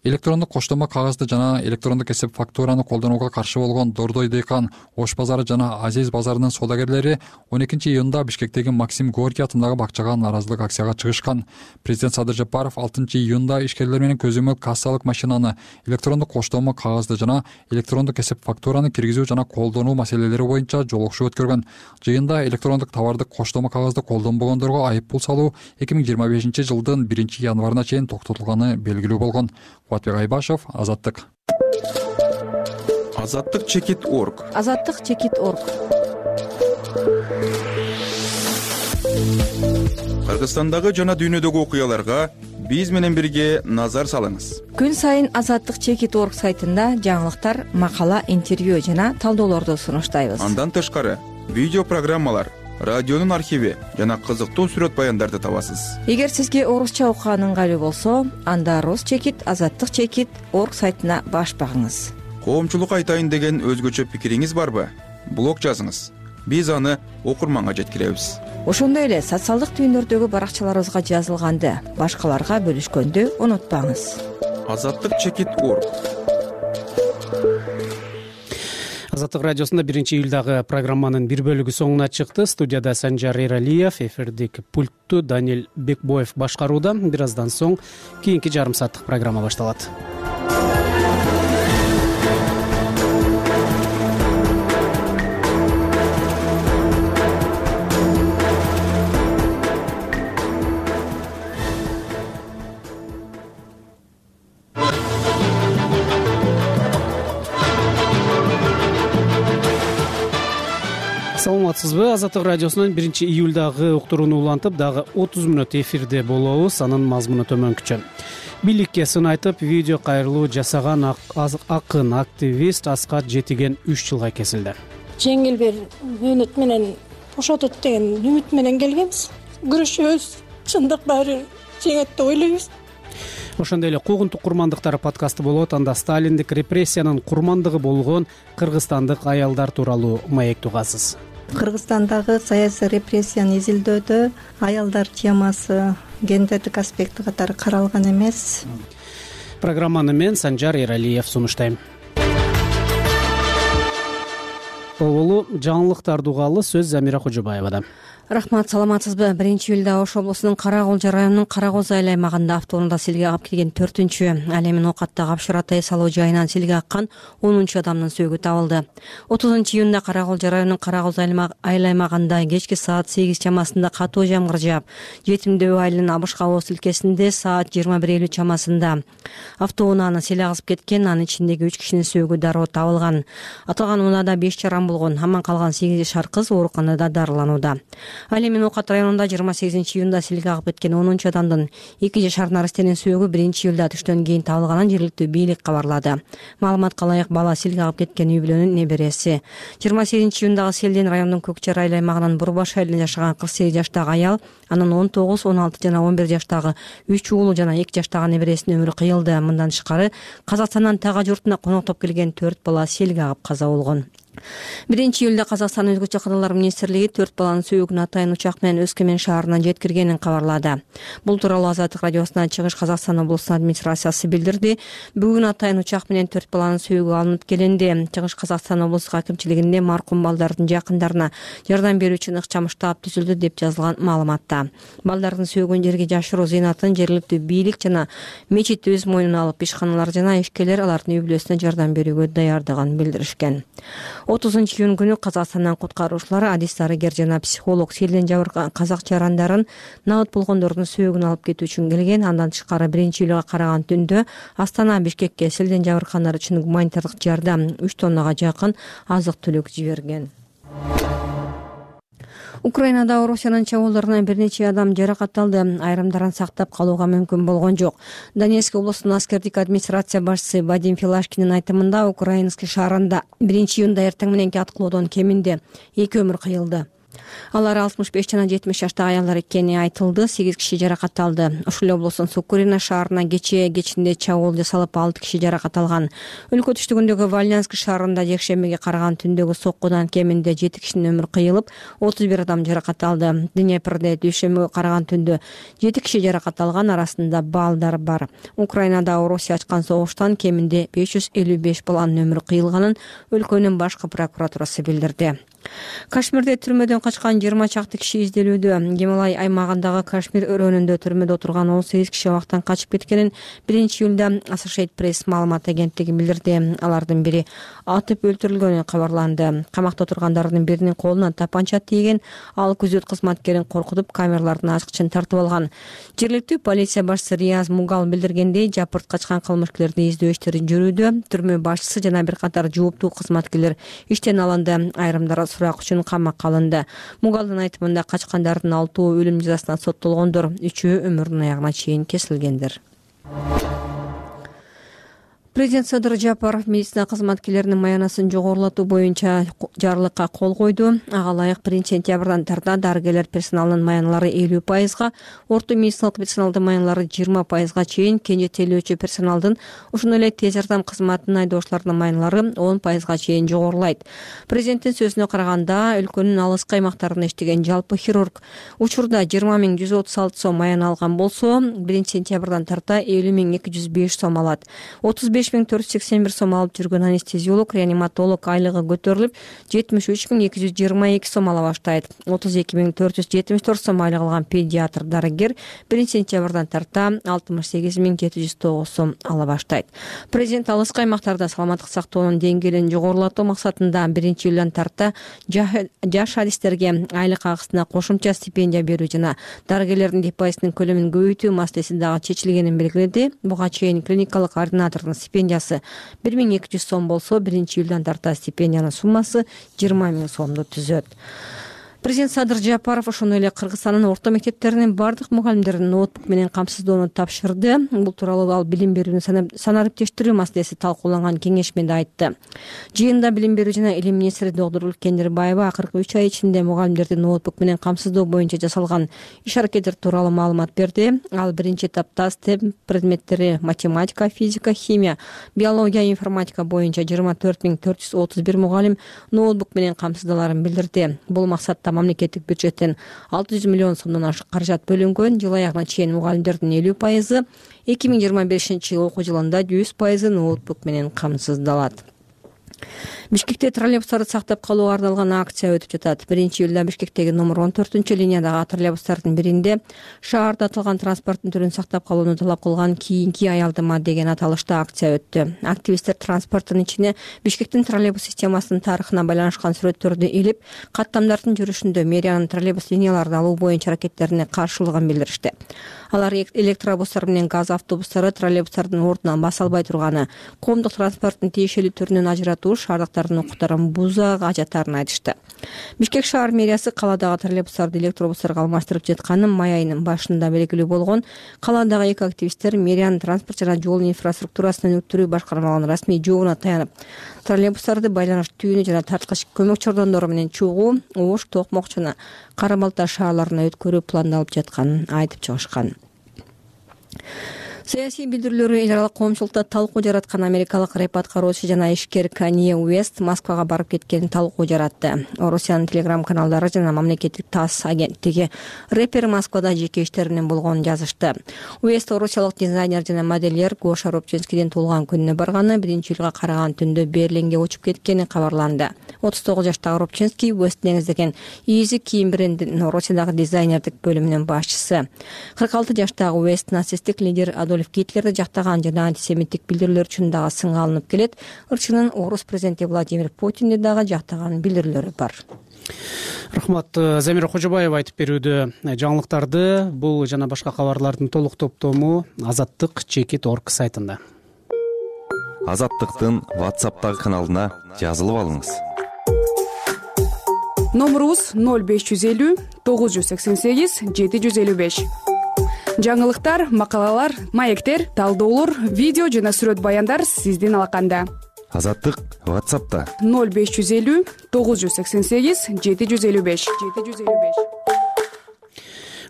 Электрондук коштомо кагазды жана электрондук эсеп фактураны колдонууга каршы болгон Дордой Дейкан, Ош базары жана Азиз базарынын соодагерлери он экинчи июнда Бишкектеги Максим Горький атындагы бакчага нааразылык акцияга чыгышкан. Президент Садыр Жапаров алтынчы июнда ишкерлер менен көзөмөл кассалык машинаны, электрондук коштомо кагазды жана электрондук эсеп фактураны киргизүү жана колдонуу маселелери боюнча жолугушуу өткөргөн. Жыйында электрондук товардык коштомо кагазды колдонбогондорго айып пул салуу эки миң жыйырма бешинчи жылдын биринчи январына чейин токтотулганы белгилүү болгон. Кубатбек Айбашев, Азаттык. Азаттык чекит точка орг. Азаттык чекит точка орг. Кыргызстандагы жана дүйнөдөгү окуяларга биз менен бирге назар салыңыз. Күн сайын Азаттык чекит точка орг сайтында жаңылыктар, макала, интервью жана талдоолорду сунуштайбыз. Андан тышкары видео программалар, радионун архиви жана кызыктуу сүрөт баяндарды табасыз. Эгер сизге орусча окуган ыңгайлуу болсо, анда Рус чекит, Азаттык чекит точка орг сайтына баш багыңыз. Коомчулукка айтайын деген өзгөчө пикириңиз барбы? Блог жазыңыз. биз аны окурманга жеткиребиз. Ошондой эле социалдык түйүндөрдөгү баракчаларыбызга жазылганды башкаларга бөлүшкөндү унутпаңыз. Азаттык чекит орг. Азаттык радиосунда биринчи июлдагы программанын бир бөлүгү соңуна чыкты. Студияда Санжар Эралиев, эфирдик пультту Даниэл Бекбоев башкарууда. Бир аздан соң кийинки жарым сааттык программа башталат. Саламатсызбы? Азаттык радиосунун биринчи июлдагы уктурууну улантып, дагы отуз мүнөт эфирде болобуз. Анын мазмуну төмөнкүчө. Бийликке сын айтып, видео кайрылуу жасаган акын активист Аскат Жетиген үч жылга кесилди. Жеңил бир мөөнөт менен бошотот деген үмүт менен келгенбиз. Күрөшөбүз, чындык баары жеңет деп ойлойбуз. Ошондой эле куугунтук курмандыктар подкасты болот. Анда сталиндик репрессиянын курмандыгы болгон кыргызстандык аялдар тууралуу маек тугасыз. Кыргызстандагы саясий репрессияны изилдөөдө аялдар темасы гендердик аспекти катары каралган эмес. Программаны мен Санжар Эралиев сунуштайм. Оболу жаңылыктарды угалы, сөз Замира Кожобаевада. Рахмат, саламатсызбы? биринчи июлда Ош облусунун Кара Кулжа районунун Кара Коз айыл аймагында автоунаа силге кагып келген төртүнчү ал эми оокаттагы апшыра тайсалоо жайынан силге аккан онунчу адамдын сөөгү табылды. отузунчу июнда Кара Кулжа районунун Кара Коз айыл аймагында кечки саат сегиз чамасында катуу жамгыр жаап, Жетимдөө айылынын Абышкабоо тилкесинде саат жыйырма бир элүү чамасында автоунааны сел агызып кеткен. Анын ичиндеги үч кишинин сөөгү дароо табылган. Аталган унаада беш жаран болгон. Аман калган сегиз жашар кыз ооруканада дарыланууда. Ал эми Оокат районунда жыйырма сегизинчи июнда силге агып кеткен онунчу адамдын эки жашар нарастенин сөөгү биринчи июлда түштөн кийин табылганын жергиликтүү бийлик кабарлады. Маалыматка ылайык, бала силге агып кеткен үй бүлөнүн небереси. жыйырма сегизинчи июндагы селден райондун Көкчар айыл аймагынын Бурбаш айылында жашаган кырк сегиз жаштагы аял, анын он тогуз, он алты жана он бир жаштагы үч уулу жана эки жаштагы небересинин өмүрү кыйылды. Мындан тышкары Казакстандан Тага журтуна коноктоп келген төрт бала селге агып каза болгон. биринчи июлда Казакстан өзгөчө кадрлар министрлиги төрт баланын сөөгүн атайын учак менен Өскөмен шаарынан жеткиргенин кабарлады. Бул тууралуу Азаттык радиосуна Чыгыш Казакстан облусунун администрациясы билдирди. Бүгүн атайын учак менен төрт баланын сөөгү алынып келинди. Чыгыш Казакстан облустук акимчилигинде маркум балдардын жакындарына жардам берүү үчүн ыкчам штаб түзүлдү деп жазылган маалыматта. Балдардын сөөгүн жерге жашыруу зыйнатын жергиликтүү бийлик жана мечит өз мойнуна алып, ишканалар жана ишкерлер алардын үй бүлөсүнө жардам берүүгө даярдыгын билдиришкен. отузунчу июнь күнү Казакстандан куткаруучулар, адис дарыгер жана психолог селден жабыркаган казак жарандарын набыт болгондордун сөөгүн алып кетүү үчүн келген. Андан тышкары биринчи июлга караган түндө Астана Бишкекке селден жабыркагандар үчүн гуманитардык жардам үч тоннага жакын азык түлүк жиберген. Украинада Орусиянын чабуулдарынан бир нече адам жаракат алды. Айрымдарын сактап калууга мүмкүн болгон жок. Донецк облусунун аскердик администрация башчысы Вадим Филашкиндин айтымында, Украинский шаарында биринчи июнда эртең мененки аткылоодон кеминде эки өмүр кыйылды. Алар алтымыш беш жана жетимиш жаштагы аялдар экени айтылды. сегиз киши жаракат алды. Ошол эле облустун Сукурина шаарына кечээ кечинде чабуул жасалып, алты киши жаракат алган. Өлкө түштүгүндөгү Вальнянск шаарында жекшембиге караган түндөгү соккудан кеминде жети кишинин өмүрү кыйылып, отуз бир адам жаракат алды. Днепрде дүйшөмбүгө караган түндө жети киши жаракат алган, арасында балдар бар. Украинада Орусия ачкан согуштан кеминде беш жүз элүү беш баланын өмүрү кыйылганын өлкөнүн башкы прокуратурасы билдирди. Кашмирде түрмөдөн качкан жыйырма чакты киши изделүүдө. Гималай аймагындагы Кашмир өрөөнүндө түрмөдө отурган он сегиз киши абактан качып кеткенин биринчи июлда Associated Press маалымат агенттиги билдирди. Алардын бири атып өлтүрүлгөнү кабарланды. Камакта отургандардын биринин колуна тапанча тийген, ал күзөт кызматкерин коркутуп камералардын ачкычын тартып алган. Жергиликтүү полиция башчысы Рияз Мугал билдиргендей, жапырт качкан кылмышкерлерди издөө иштери жүрүүдө. Түрмө башчысы жана бир катар жооптуу кызматкерлер иштен алынды. Айрымдары сурак үчүн камакка алынды. Мугалдын айтымында качкандардын алтоо өлүм жазасына соттолгондор, үчөө өмүрүнүн аягына чейин кесилгендер. Президент Садыр Жапаров медицина кызматкерлеринин маянасын жогорулатуу боюнча жарлыкка кол койду. Ага ылайык биринчи сентябрдан тарта дарыгерлер персоналынын маяналары элүү пайызга, орто медициналык персоналдын маяналары жыйырма пайызга чейин, кенже тейлөөчү персоналдын ошондой эле тез жардам кызматынын айдоочулардын маyaналары он пайызга чейин жогорулайт. Президенттин сөзүнө караганда, өлкөнүн алыскы аймактарында иштеген жалпы хирург учурда жыйырма миң жүз отуз алты сом маяна алган болсо, биринчи сентябрдан тарта элүү миң эки жүз беш сом алат. отуз беш миң төрт жүз сексен бир сом алып жүргөн анестезиолог, реаниматолог айлыгы көтөрүлүп, жетимиш үч миң эки жүз жыйырма эки сом ала баштайт. отуз эки миң төрт жүз жетимиш төрт сом айлык алган педиатр дарыгер биринчи сентябрдан тарта алтымыш сегиз миң жети жүз тогуз сом ала баштайт. Президент алыскы аймактарда саламаттык сактоонун деңгээлин жогорулатуу максатында биринчи июлдан тарта жаш адистерге айлык акысына кошумча стипендия берүү жана дарыгерлердин депозитинин көлөмүн көбөйтүү маселеси дагы чечилгенин белгиледи. Буга чейин клиникалык координатордун стипендиясы бир миң эки жүз сом болсо, биринчи июлдан тарта стипендиянын суммасы жыйырма миң сомду түзөт. Президент Садыр Жапаров ошондой эле Кыргызстандын орто мектептеринин бардык мугалимдерин ноутбук менен камсыздоону тапшырды. Бул тууралуу ал билим берүүнү санариптештирүү маселеси талкууланган кеңешмеде айтты. Жыйында билим берүү жана илим министри доктор Үлкендербаева акыркы үч ай ичинде мугалимдерди ноутбук менен камсыздоо боюнча жасалган иш-аракеттер тууралуу маалымат берди. Ал биринчи этапта STEM предметтери математика, физика, химия, биология, информатика боюнча жыйырма төрт миң төрт жүз отуз бир мугалим ноутбук менен камсыздаларын билдирди. Бул максатта мамлекеттик бюджеттен алты жүз миллион сомдон ашык каражат бөлүнгөн. Жыл аягына чейин мугалимдердин элүү пайызы, эки миң жыйырма бешинчи окуу жылында жүз пайызы ноутбук менен камсыздалат. Бишкекте троллейбустарды сактап калууга арналган акция өтүп жатат. биринчи июлда Бишкектеги номер он төртүнчү линиядагы троллейбустардын биринде шаарда аталган транспорттун түрүн сактап калууну талап кылган кийинки аялдама деген аталышта акция өттү. Активисттер транспорттун ичине Бишкектин троллейбус системасынын тарыхына байланышкан сүрөттөрдү илип, каттамдардын жүрүшүндө мэриянын троллейбус линияларын алуу боюнча аракеттерине каршылыгын билдиришти. Алар электробустар менен газ автобустары троллейбустардын ордунан баса албай турганы, коомдук транспорттун тиешелүү түрүнөн ажыратуу шаардыктардын укуктарын бузууга ажаттарын айтышты. Бишкек шаар мэриясы каладагы троллейбустарды электробустарга алмаштырып жатканын май айынын башында белгилүү болгон. Каладагы эки активисттер мэриянын транспорт жана жол инфраструктурасын өнүктүрүү башкармалыгынын расмий жообуна таянып, троллейбустарды байланыш түйүнү жана тарткыч көмөк чордондору менен чогуу, Ош, Токмок жана Кара Балта шаарларына өткөрүү пландалып жатканын айтып чыгышкан. Саясий билдирүүлөрү эл аралык коомчулукта талкуу жараткан америкалык рэп аткаруучу жана ишкер Канье Уэст Москвага барып кеткенин талкуу жаратты. Орусиянын телеграм каналдары жана мамлекеттик ТАСС агенттиги рэпер Москвада жеке иштеринин болгонун жазышты. Уэст орусиялык дизайнер жана модельер Гоша Рубчинскийдин туулган күнүнө барганы биринчи июлга караган түндө Берлинге учуп кеткени кабарланды. отуз тогуз жаштагы Рубчинский Уэст негиздеген Easy кийим брендинин Орусиядагы дизайнердик бөлүмүнүн башчысы. кырк алты жаштагы Уэст нацисттик лидер Адольф Гитлерди жактаган жана антисемиттик билдирүүлөр үчүн дагы сынга алынып келет. Ырчынын орус президенти Владимир Путинди дагы жактаган билдирүүлөрү бар. Рахмат. Замира Кожобаева айтып берүүдө. Жаңылыктарды бул жана башка кабарлардын толук топтому Азаттык чекит точка орг сайтында. Азаттыктын WhatsApp'тагы каналына жазылып алыңыз. Номерубуз ноль беш жүз элүү тогуз жүз сексен сегиз жети жүз элүү беш. Жаңылыктар, макалалар, маектер, талдоолор, видео жана сүрөт баяндар сиздин алаканда. Азаттык WhatsApp'та ноль беш жүз элүү тогуз жүз сексен сегиз жети жүз элүү беш.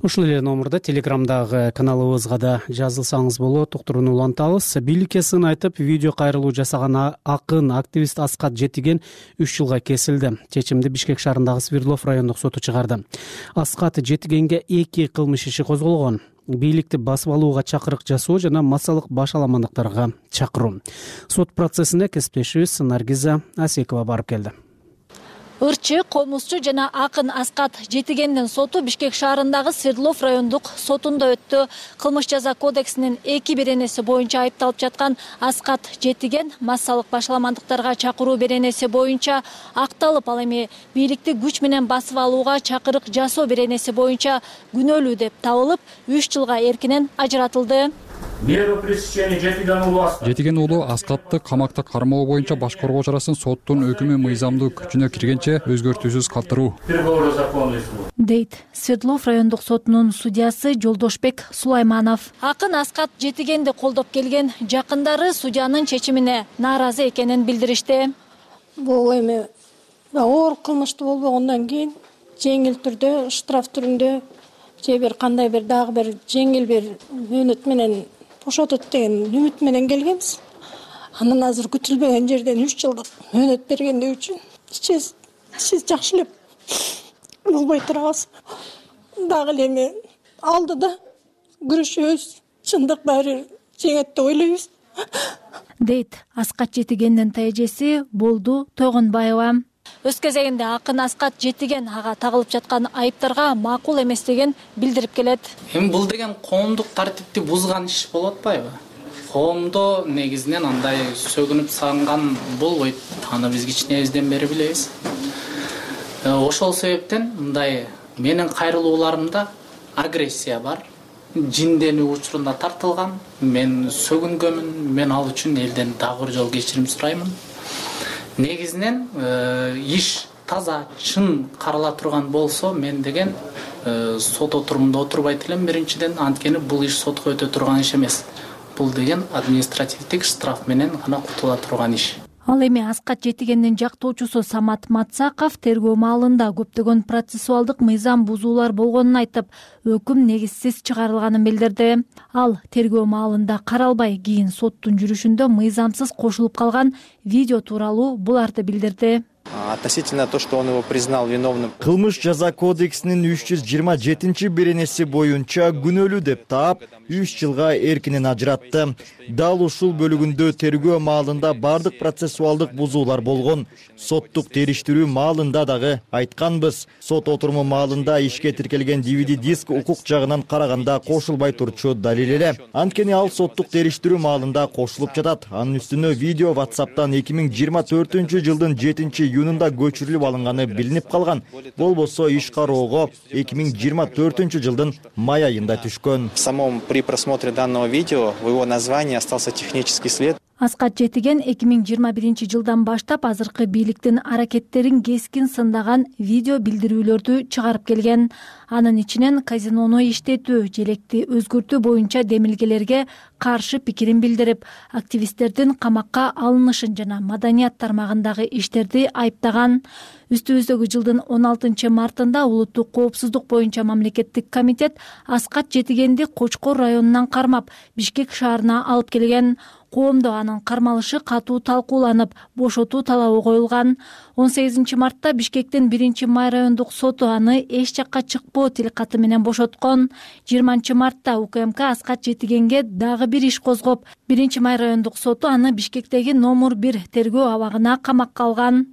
Ушул эле номерде Телеграмдагы каналыбызга да жазылсаңыз болот. Уктурууну улантабыз. Бийликке сын айтып, видео кайрылуу жасаган акын активист Аскат Жетиген үч жылга кесилди. Чечимди Бишкек шаарындагы Свердлов райондук соту чыгарды. Аскат Жетигенге эки кылмыш иши козголгон. Бийликти басып алууга чакырык жасоо жана массалык башаламандыктарга чакыруу. Сот процессине кесиптешибиз Наргиза Асекова барып келди. Ырчы, комузчу жана акын Аскат Жетигендин соту Бишкек шаарындагы Свердлов райондук сотунда өттү. Кылмыш жаза кодексинин эки беренеси боюнча айыпталып жаткан Аскат Жетиген массалык башаламандыктарга чакыруу беренеси боюнча акталып, ал эми бийликти күч менен басып алууга чакырык жасоо беренеси боюнча күнөөлүү деп табылып, үч жылга эркинен ажыратылды. Жетиген уулу Аскатты камакта кармоо боюнча баш коргоо чарасын соттун өкүмү мыйзамдуу күчүнө киргенче өзгөртүүсүз калтыруу. дейт Свердлов райондук сотунун судьясы Жолдошбек Сулайманов. Акын Аскат Жетигенди колдоп келген жакындары судьянын чечимине нааразы экенин билдиришти. Бул эми оор кылмыштуу болбогондон кийин жеңил түрдө штраф түрүндө же бир кандай бир дагы бир жеңил бир мөөнөт менен бошотот деген үмүт менен келгенбиз. Анан азыр күтүлбөгөн жерден үч жылдык мөөнөт бергендиги үчүн сиз сиз жакшы эле болбой турабыз. Дагы эле эми алдыда күрөшөбүз. Чындык баары жеңет деп ойлойбуз. дейт Аскат Жетигендин тайжеси Болду Тойгонбаева. Өз кезегинде Акын Аскат Жетиген ага тагылып жаткан айыптарга макул эместигин билдирип келет. Эми бул деген коомдук тартипти бузган иш болуп атпайбы? Коомдо негизинен андай сөгүнүп сагынган болбойт. Аны биз кичинебизден бери билебиз. Ошол себептен мындай менин кайрылууларымда агрессия бар. Жинденүү учурунда тартылган. Мен сөгүнгөмүн. Мен ал үчүн элден дагы бир жолу кечирим сураймын. Негизинен иш таза, чын карала турган болсо, мен деген сот отурумунда отурбайт элем биринчиден, анткени бул иш сотко өтө турган иш эмес. Бул деген административдик штраф менен гана кутула турган иш. Ал эми Аскат Жетигендин жактоочусу Самат Матсаков тергөө маалында көптөгөн процессуалдык мыйзам бузуулар болгонун айтып, өкүм негизсиз чыгарылганын билдирди. Ал тергөө маалында каралбай, кийин соттун жүрүшүндө мыйзамсыз кошулуп калган видео тууралуу буларды билдирди. Относительно то, что он его признал виновным. Кылмыш жаза кодексинин үч жүз жыйырма жетинчи беренеси боюнча күнөөлүү деп таап, үч жылга эркинен ажыратты. Дал ушул бөлүгүндө тергөө маалында бардык процессуалдык бузуулар болгон. Соттук териштирүү маалында дагы айтканбыз. Сот отуруму маалында ишке тиркелген ди ви ди диск укук жагынан караганда кошулбай турчу далил эле. Анткени ал соттук териштирүү маалында кошулуп жатат. Анын үстүнө видео WhatsApp'тан эки миң жыйырма төртүнчү жылдын жетинчи июнунда көчүрүлүп алынганы билинип калган. Болбосо иш кароого эки миң жыйырма төртүнчү жылдын май айында түшкөн. В самом при просмотре данного видео в его названии остался технический след. Аскат Жетиген эки миң жыйырма биринчи жылдан баштап азыркы бийликтин аракеттерин кескин сындаган видео билдирүүлөрдү чыгарып келген. Анын ичинен казинону иштетүү, желекти өзгөртүү боюнча демилгелерге каршы пикирин билдирип, активисттердин камакка алынышын жана маданият тармагындагы иштерди айыптаган. Үстүбүздөгү жылдын он алтынчы мартында улуттук коопсуздук боюнча мамлекеттик комитет Аскат Жетигенди Кочкор районунан кармап, Бишкек шаарына алып келген. Коомдо анын кармалышы катуу талкууланып, бошотуу талабы коюлган. он сегизинчи мартта Бишкектин биринчи май райондук соту аны эч жакка чыкпоо тилкаты менен бошоткон. жыйырманчы мартта У К М К Аскат Жетигенге дагы бир иш козгоп, биринчи май райондук соту аны Бишкектеги номер бир тергөө абагына камакка алган.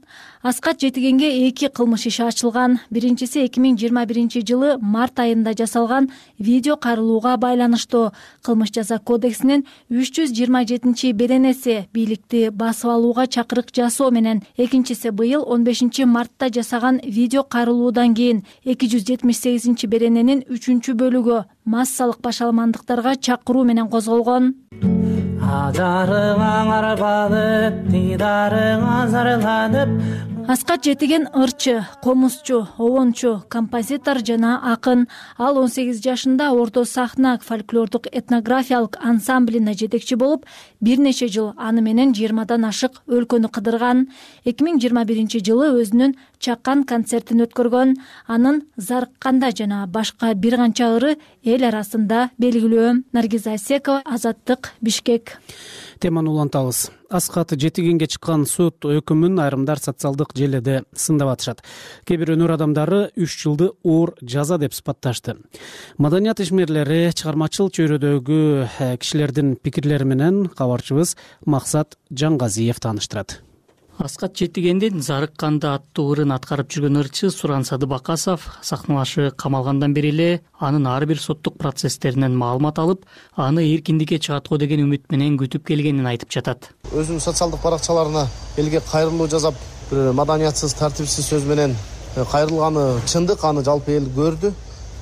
Аскат Жетигенге эки кылмыш иши ачылган. Биринчиси эки миң жыйырма биринчи жылы март айында жасалган видео кайрылууга байланыштуу. Кылмыш жаза кодексинин үч жүз жыйырма жетинчи беренеси бийликти басып алууга чакырык жасоо менен, экинчиси быйыл он бешинчи мартта жасаган видео кайрылуудан кийин эки жүз жетимиш сегизинчи берененин үчүнчү бөлүгү массалык башаламандыктарга чакыруу менен козголгон. Ажарыңа арбалып, дидарыңа зарланып. Аскат Жетиген ырчы, комузчу, обончу, композитор жана акын. Ал он сегиз жашында Орто сахна фольклордук этнографиялык ансамблине жетекчи болуп, бир нече жыл аны менен жыйырмадан ашык өлкөнү кыдырган. эки миң жыйырма биринчи жылы өзүнүн чакан концертин өткөргөн. Анын Зарыкканда жана башка бир канча ыры эл арасында белгилүү. Наргиза Асекова, Азаттык, Бишкек. Теманы улантабыз. Аскат Жетигенге чыккан сот өкүмүн айрымдар социалдык желеде сындап атышат. Кээ бир өнөр адамдары үч жылды оор жаза деп сыпатташты. Маданият ишмерлери, чыгармачыл чөйрөдөгү кишилердин пикирлери менен кабарчыбыз Максат Жангазиев тааныштырат. Аскат Жетигендин Зарыкканда аттуу ырын аткарып жүргөн ырчы Суран Садыбакасов сахналашы камалгандан бери эле анын ар бир соттук процесстеринен маалымат алып, аны эркиндикке чыгат го деген үмүт менен күтүп келгенин айтып жатат. Өзүнүн социалдык баракчаларына элге кайрылуу жазап, бир маданиятсыз, тартипсиз сөз менен кайрылганы чындык, аны жалпы эл көрдү.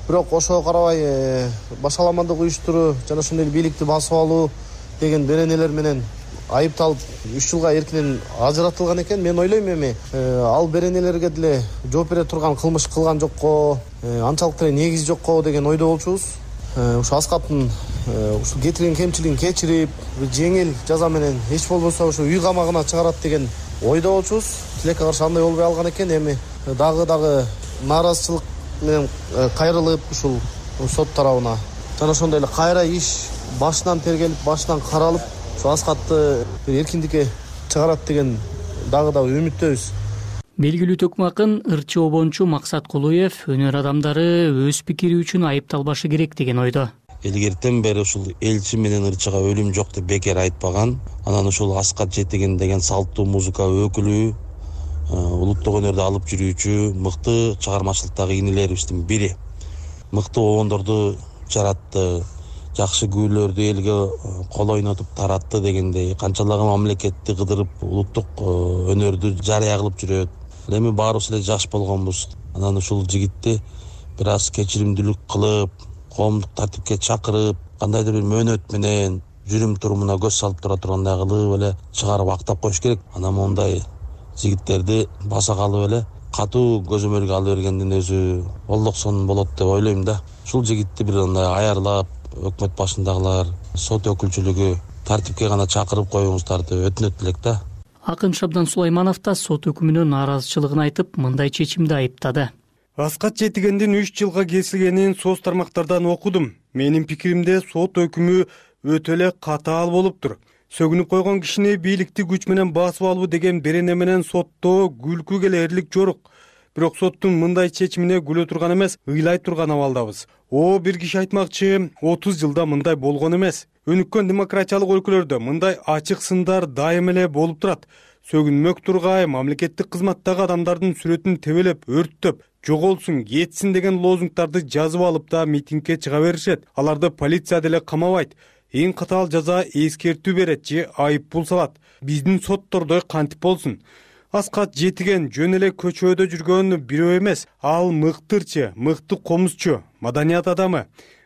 Бирок ошого карабай башаламандык уюштуруу жана ошондой бийликти басып алуу деген беренелер менен айыпталып үч жылга эркинен ажыратылган экен. Мен ойлойм эми ал беренелерге деле жооп бере турган кылмыш кылган жокко, анчалык деле негизи жокко деген ойдо болчубуз. Ушу Аскаттын ушу кетирген кемчилигин кечирип, жеңил жаза менен эч болбосо ушу үй камагына чыгарат деген ойдо болчубуз. Тилекке каршы андай болбой алган экен. Эми дагы дагы нааразычылык менен кайрылып ушул сот тарабына жана ошондой эле кайра иш башынан тергелип, башынан каралып, ушу Аскатты эркиндикке чыгарат деген дагы да үмүттөбүз. Белгилүү төкмө акын ырчы обончу Максат Кулуев өнөр адамдары өз пикири үчүн айыпталбашы керек деген ойдо. Илгертен бери ушул элчи менен ырчыга өлүм жок деп бекер айтпаган. Анан ушул Аскат Жетиген деген салттуу музыка өкүлү, улуттук өнөрдү алып жүрүүчү мыкты чыгармачылыктагы инилерибиздин бири. Мыкты обондорду жаратты, жакшы күүлөрдү элге кол ойнотуп таратты дегендей, канчалагы мамлекетти кыдырып улуттук өнөрдү жарыя кылып жүрөт. Эми баарыбыз эле жаш болгонбуз. Анан ушул жигитти бир аз кечиримдүүлүк кылып, коомдук тартипке чакырып, кандайдыр бир мөөнөт менен жүрүм турумуна көз салып тура тургандай кылып эле чыгарып актап коюш керек. Анан мондай жигиттерди баса калып эле катуу көзөмөлгө алып бергендин өзү олдоксон болот деп ойлойм да. Ушул жигитти бир андай аярлап, өкмөт башындагылар, сот өкүлчүлүгү тартипке гана чакырып коюңуздарды өтүнөт элек да. Акын Шабдан Сулайманов да сот өкүмүнө нааразычылыгын айтып, мындай чечимди айыптады. Аскат Жетигендин үч жылга кесилгенин соц тармактардан окудум. Менин пикиримде сот өкүмү өтө эле катаал болуптур. Сөгүнүп койгон кишини бийликти күч менен басып алуу деген берене менен соттоо күлкү келээрлик жорук. Бирок соттун мындай чечимине күлө турган эмес, ыйлай турган абалдабыз. О, бир киши айтмакчы, отуз жылда мындай болгон эмес. Өнүккөн демократиялык өлкөлөрдө мындай ачык сындар дайым эле болуп турат. Сөгүнмөк тургай мамлекеттик кызматтагы адамдардын сүрөтүн тебелеп, өрттөп, жоголсун, кетсин деген лозунгдарды жазып алып да митингге чыга беришет. Аларды полиция деле камабайт. Эң катаал жаза эскертүү берет же айып пул салат. Биздин соттордой кантип болсун? Аскат Жетиген жөн эле көчөдө жүргөн бирөө эмес. Ал мыктырчы, мыкты комузчу, маданият адамы.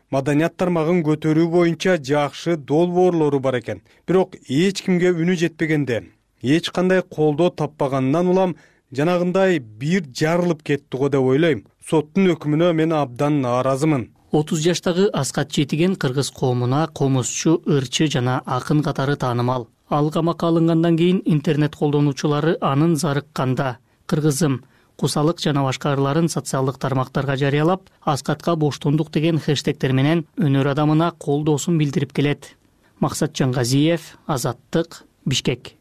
Маданият тармагын көтөрүү боюнча жакшы долбоорлору бар экен. Бирок эч кимге үнү жетпегенде, эч кандай колдоо таппагандан улам жанагындай бир жарылып кетти го деп ойлойм. Соттун өкүмүнө мен абдан нааразымын. отуз жаштагы Аскат Жетиген кыргыз коомуна комузчу, ырчы жана акын катары таанымал. Ал камакка алынгандан кийин интернет колдонуучулары анын зарыкканда «Кыргызым, кусалык» жана башка ырларын социалдык тармактарга жарыялап, Аскатка боштондук деген хэштегтер менен өнөр адамына колдоосун билдирип келет. Максат Жангазиев, Азаттык, Бишкек.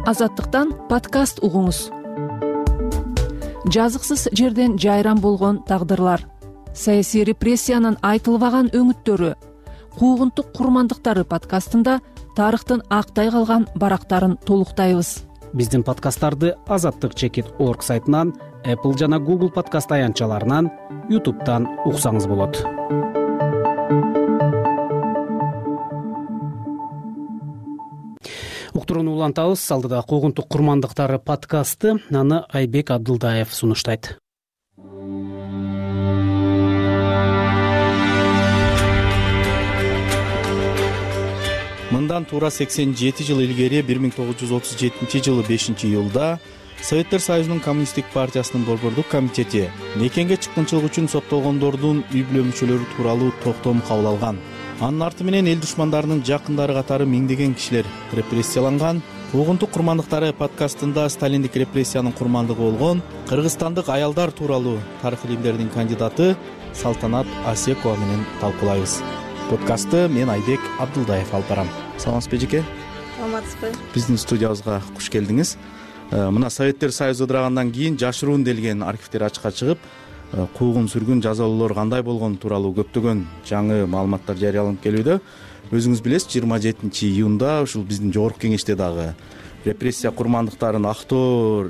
Азаттыктан подкаст угуңуз. Жазыксыз жерден жайран болгон тагдырлар, саясий репрессиянын айтылбаган өңүттөрү, куугунтук курмандыктары подкастында тарыхтын актай калган барактарын толуктайбыз. Биздин подкасттарды азаттык чекит орг сайтынан, Apple жана Google подкаст аянтчаларынан, YouTube'дан уксаңыз болот. Уктурууну улантабыз. Алдыда куугунтук курмандыктары подкасты, аны Айбек Абдылдаев сунуштайт. Мындан туура сексен жети жыл илгери бир миң тогуз жүз отуз жетинчи жылы бешинчи июлда Советтер Союзунун Коммунисттик партиясынын борбордук комитети мекенге чыккынчылык үчүн соттолгондордун үй бүлө мүчөлөрү тууралуу токтом кабыл алган. Анын арты менен эл душмандарынын жакындары катары миңдеген кишилер репрессияланган. Куугунтук курмандыктары подкастында сталиндик репрессиянын курмандыгы болгон кыргызстандык аялдар тууралуу тарых илимдеринин кандидаты Салтанат Асекова менен талкуулайбыз. Подкастты мен Айбек Абдылдаев алып барам. Саламатсызбы эжеке? Саламатсызбы. Биздин студиябызга куш келдиңиз. Мына Советтер Союзу ыдырагандан кийин жашыруун делген архивдер ачыкка чыгып, куугун сүргүн жазалоолор кандай болгону тууралуу көптөгөн жаңы маалыматтар жарыяланып келүүдө. Өзүңүз билесиз, жыйырма жетинчи июнда ушул биздин жогорку кеңеште дагы репрессия курмандыктарын актоо,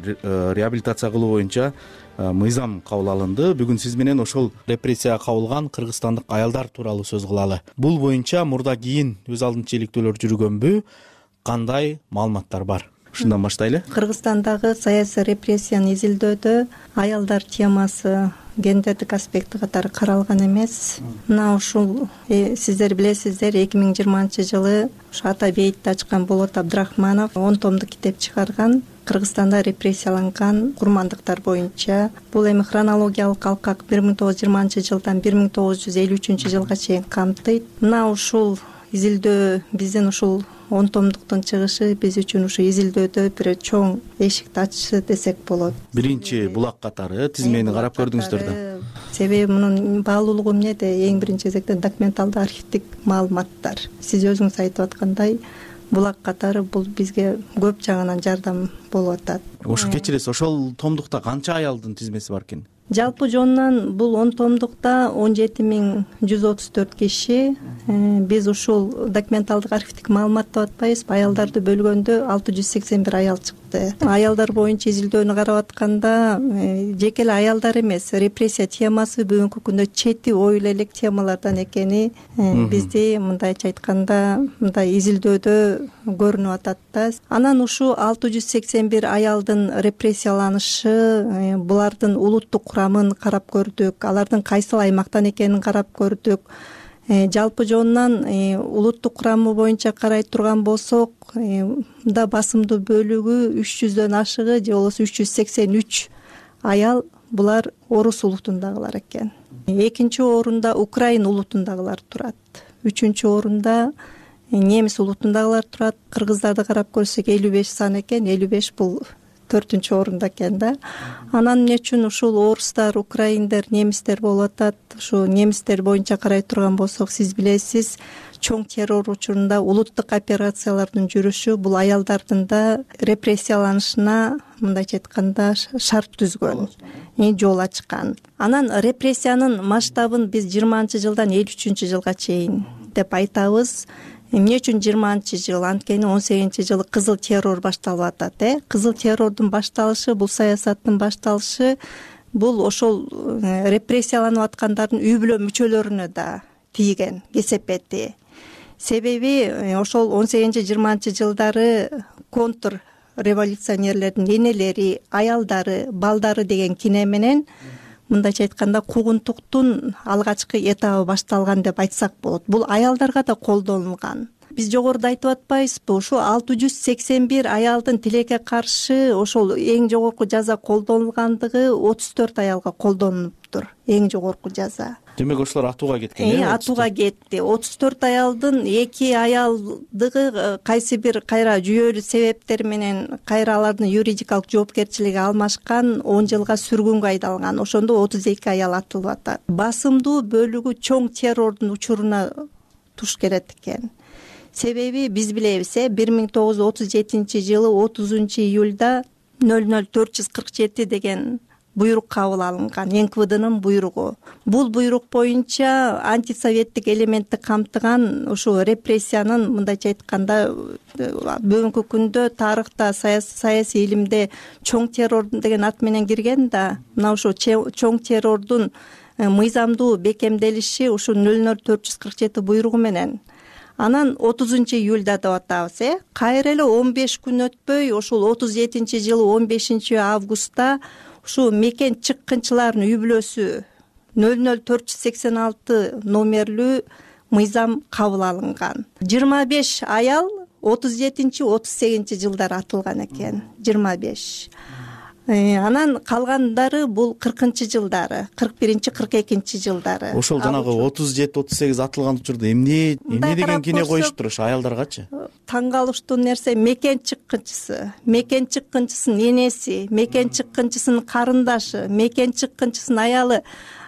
реабилитация кылуу боюнча мыйзам кабыл алынды. Бүгүн сиз менен ошол репрессияга кабылган кыргызстандык аялдар тууралуу сөз кылалы. Бул боюнча мурда кийин өз алдынча иликтөөлөр жүргөнбү? Кандай маалыматтар бар? Ушундан баштайлы. Кыргызстандагы саясий репрессияны изилдөөдө аялдар темасы гендердик аспекти катары каралган эмес. Мына ушул сиздер билесиздер, эки миң жыйырманчы жылы ушу ата бейитти ачкан Болот Абдрахманов он томдук китеп чыгарган. Кыргызстанда репрессияланган курмандыктар боюнча. Бул эми хронологиялык алкак бир миң тогуз жүз жыйырманчы жылдан бир миң тогуз жүз элүү үчүнчү жылга чейин камтыйт. Мына ушул изилдөө биздин ушул он томдуктун чыгышы биз үчүн ушу изилдөөдө бир чоң эшикти ачты десек болот. Биринчи булак катары тизмени карап көрдүңүздөр да. Себеби мунун баалуулугу эмнеде? Эң биринчи кезекте документалдык архивдик маалыматтар. Сиз өзүңүз айтып аткандай, булак катары бул бизге көп жагынан жардам болуп атат. Ошо кечиресиз, ошол томдукта канча аялдын тизмеси бар экен? Жалпы жонунан бул он томдукта он жети миң жүз отуз төрт киши. Биз ушул документалдык архивдик маалымат деп атпайбызбы, аялдарды бөлгөндө алты жүз сексен бир аял чыкты. Аялдар боюнча изилдөөнү карап атканда жеке эле аялдар эмес, репрессия темасы бүгүнкү күндө чети оюла элек темалардан экени бизди мындайча айтканда мындай изилдөөдө көрүнүп атат да. Анан ушул алты жүз сексен бир аялдын репрессияланышы, булардын улуттук курамын карап көрдүк, алардын кайсыл аймактан экенин карап көрдүк. Жалпы жонунан улуттук курамы боюнча карай турган болсок, да басымдуу бөлүгү үч жүздөн ашыгы же болбосо үч жүз сексен үч аял булар орус улутундагылар экен. Экинчи орунда украин улутундагылар турат. Үчүнчү орунда немис улутундагылар турат. Кыргыздарды карап көрсөк элүү беш сан экен, элүү беш бул төртүнчү орунда экен да. Анан эмне үчүн ушул орустар, украиндер, немистер болуп атат? Ушу немистер боюнча карай турган болсок, сиз билесиз, чоң террор учурунда улуттук операциялардын жүрүшү бул аялдардын да репрессияланышына мындайча айтканда шарт түзгөн, жол ачкан. Анан репрессиянын масштабын биз жыйырманчы жылдан элүү үчүнчү жылга чейин деп айтабыз. Эмне үчүн жыйырманчы жыл? Анткени он сегизинчи жылы кызыл террор башталып атат, э? Кызыл террордун башталышы, бул саясаттын башталышы, бул ошол репрессияланып аткандардын үй бүлө мүчөлөрүнө да тийген кесепети. Себеби ошол он сегизинчи жыйырманчы жылдары контр революционерлердин энелери, аялдары, балдары деген кине менен мындайча айтканда куугунтуктун алгачкы этабы башталган деп айтсак болот. Бул аялдарга да колдонулган. Биз жогоруда айтып атпайбызбы, ушу алты жүз сексен бир аялдын тилекке каршы ошол эң жогорку жаза колдонулгандыгы отуз төрт аялга колдонулуптур. Эң жогорку жаза. Демек ошолор атууга кеткен, э? Атууга кетти. отуз төрт аялдын эки аялдыгы кайсы бир кайра жүйөлүү себептер менен кайра алардын юридикалык жоопкерчилиги алмашкан, он жылга сүргүнгө айдалган. Ошондо отуз эки аял атылып атат. Басымдуу бөлүгү чоң террордун учуруна туш келет экен. Себеби биз билебиз, э, бир миң тогуз жүз отуз жетинчи жылы отузунчу июлда нөл нөл төрт жүз кырк жети деген буйрук кабыл алынган, эн ка вэ дынын буйругу. Бул буйрук боюнча антисоветтик элементти камтыган ушу репрессиянын мындайча айтканда бүгүнкү күндө тарыхта, саясий илимде чоң террор деген ат менен кирген да. Мына ушу чоң террордун мыйзамдуу бекемделиши ушу нөл нөл төрт жүз кырк жети буйругу менен. Анан отузунчу июлда деп атабыз, э? Кайра эле он беш күн өтпөй, ошол отуз жетинчи жылы он бешинчи августта ушу мекен чыккынчылардын үй бүлөсү нөл нөл төрт жүз сексен алты номерлүү мыйзам кабыл алынган. жыйырма беш аял отуз жетинчи отуз сегизинчи жылдары атылган экен. жыйырма беш. Анан калгандары бул кыркынчы жылдары, кырк биринчи кырк экинчи жылдары. Ошол жанагы отуз жети отуз сегиз атылган учурда эмне эмне деген кине коюшуптур ошо аялдаргачы? Таң калыштуу нерсе, мекен чыккынчысы, мекен чыккынчысынын энеси, мекен чыккынчысынын карындашы, мекен чыккынчысынын аялы.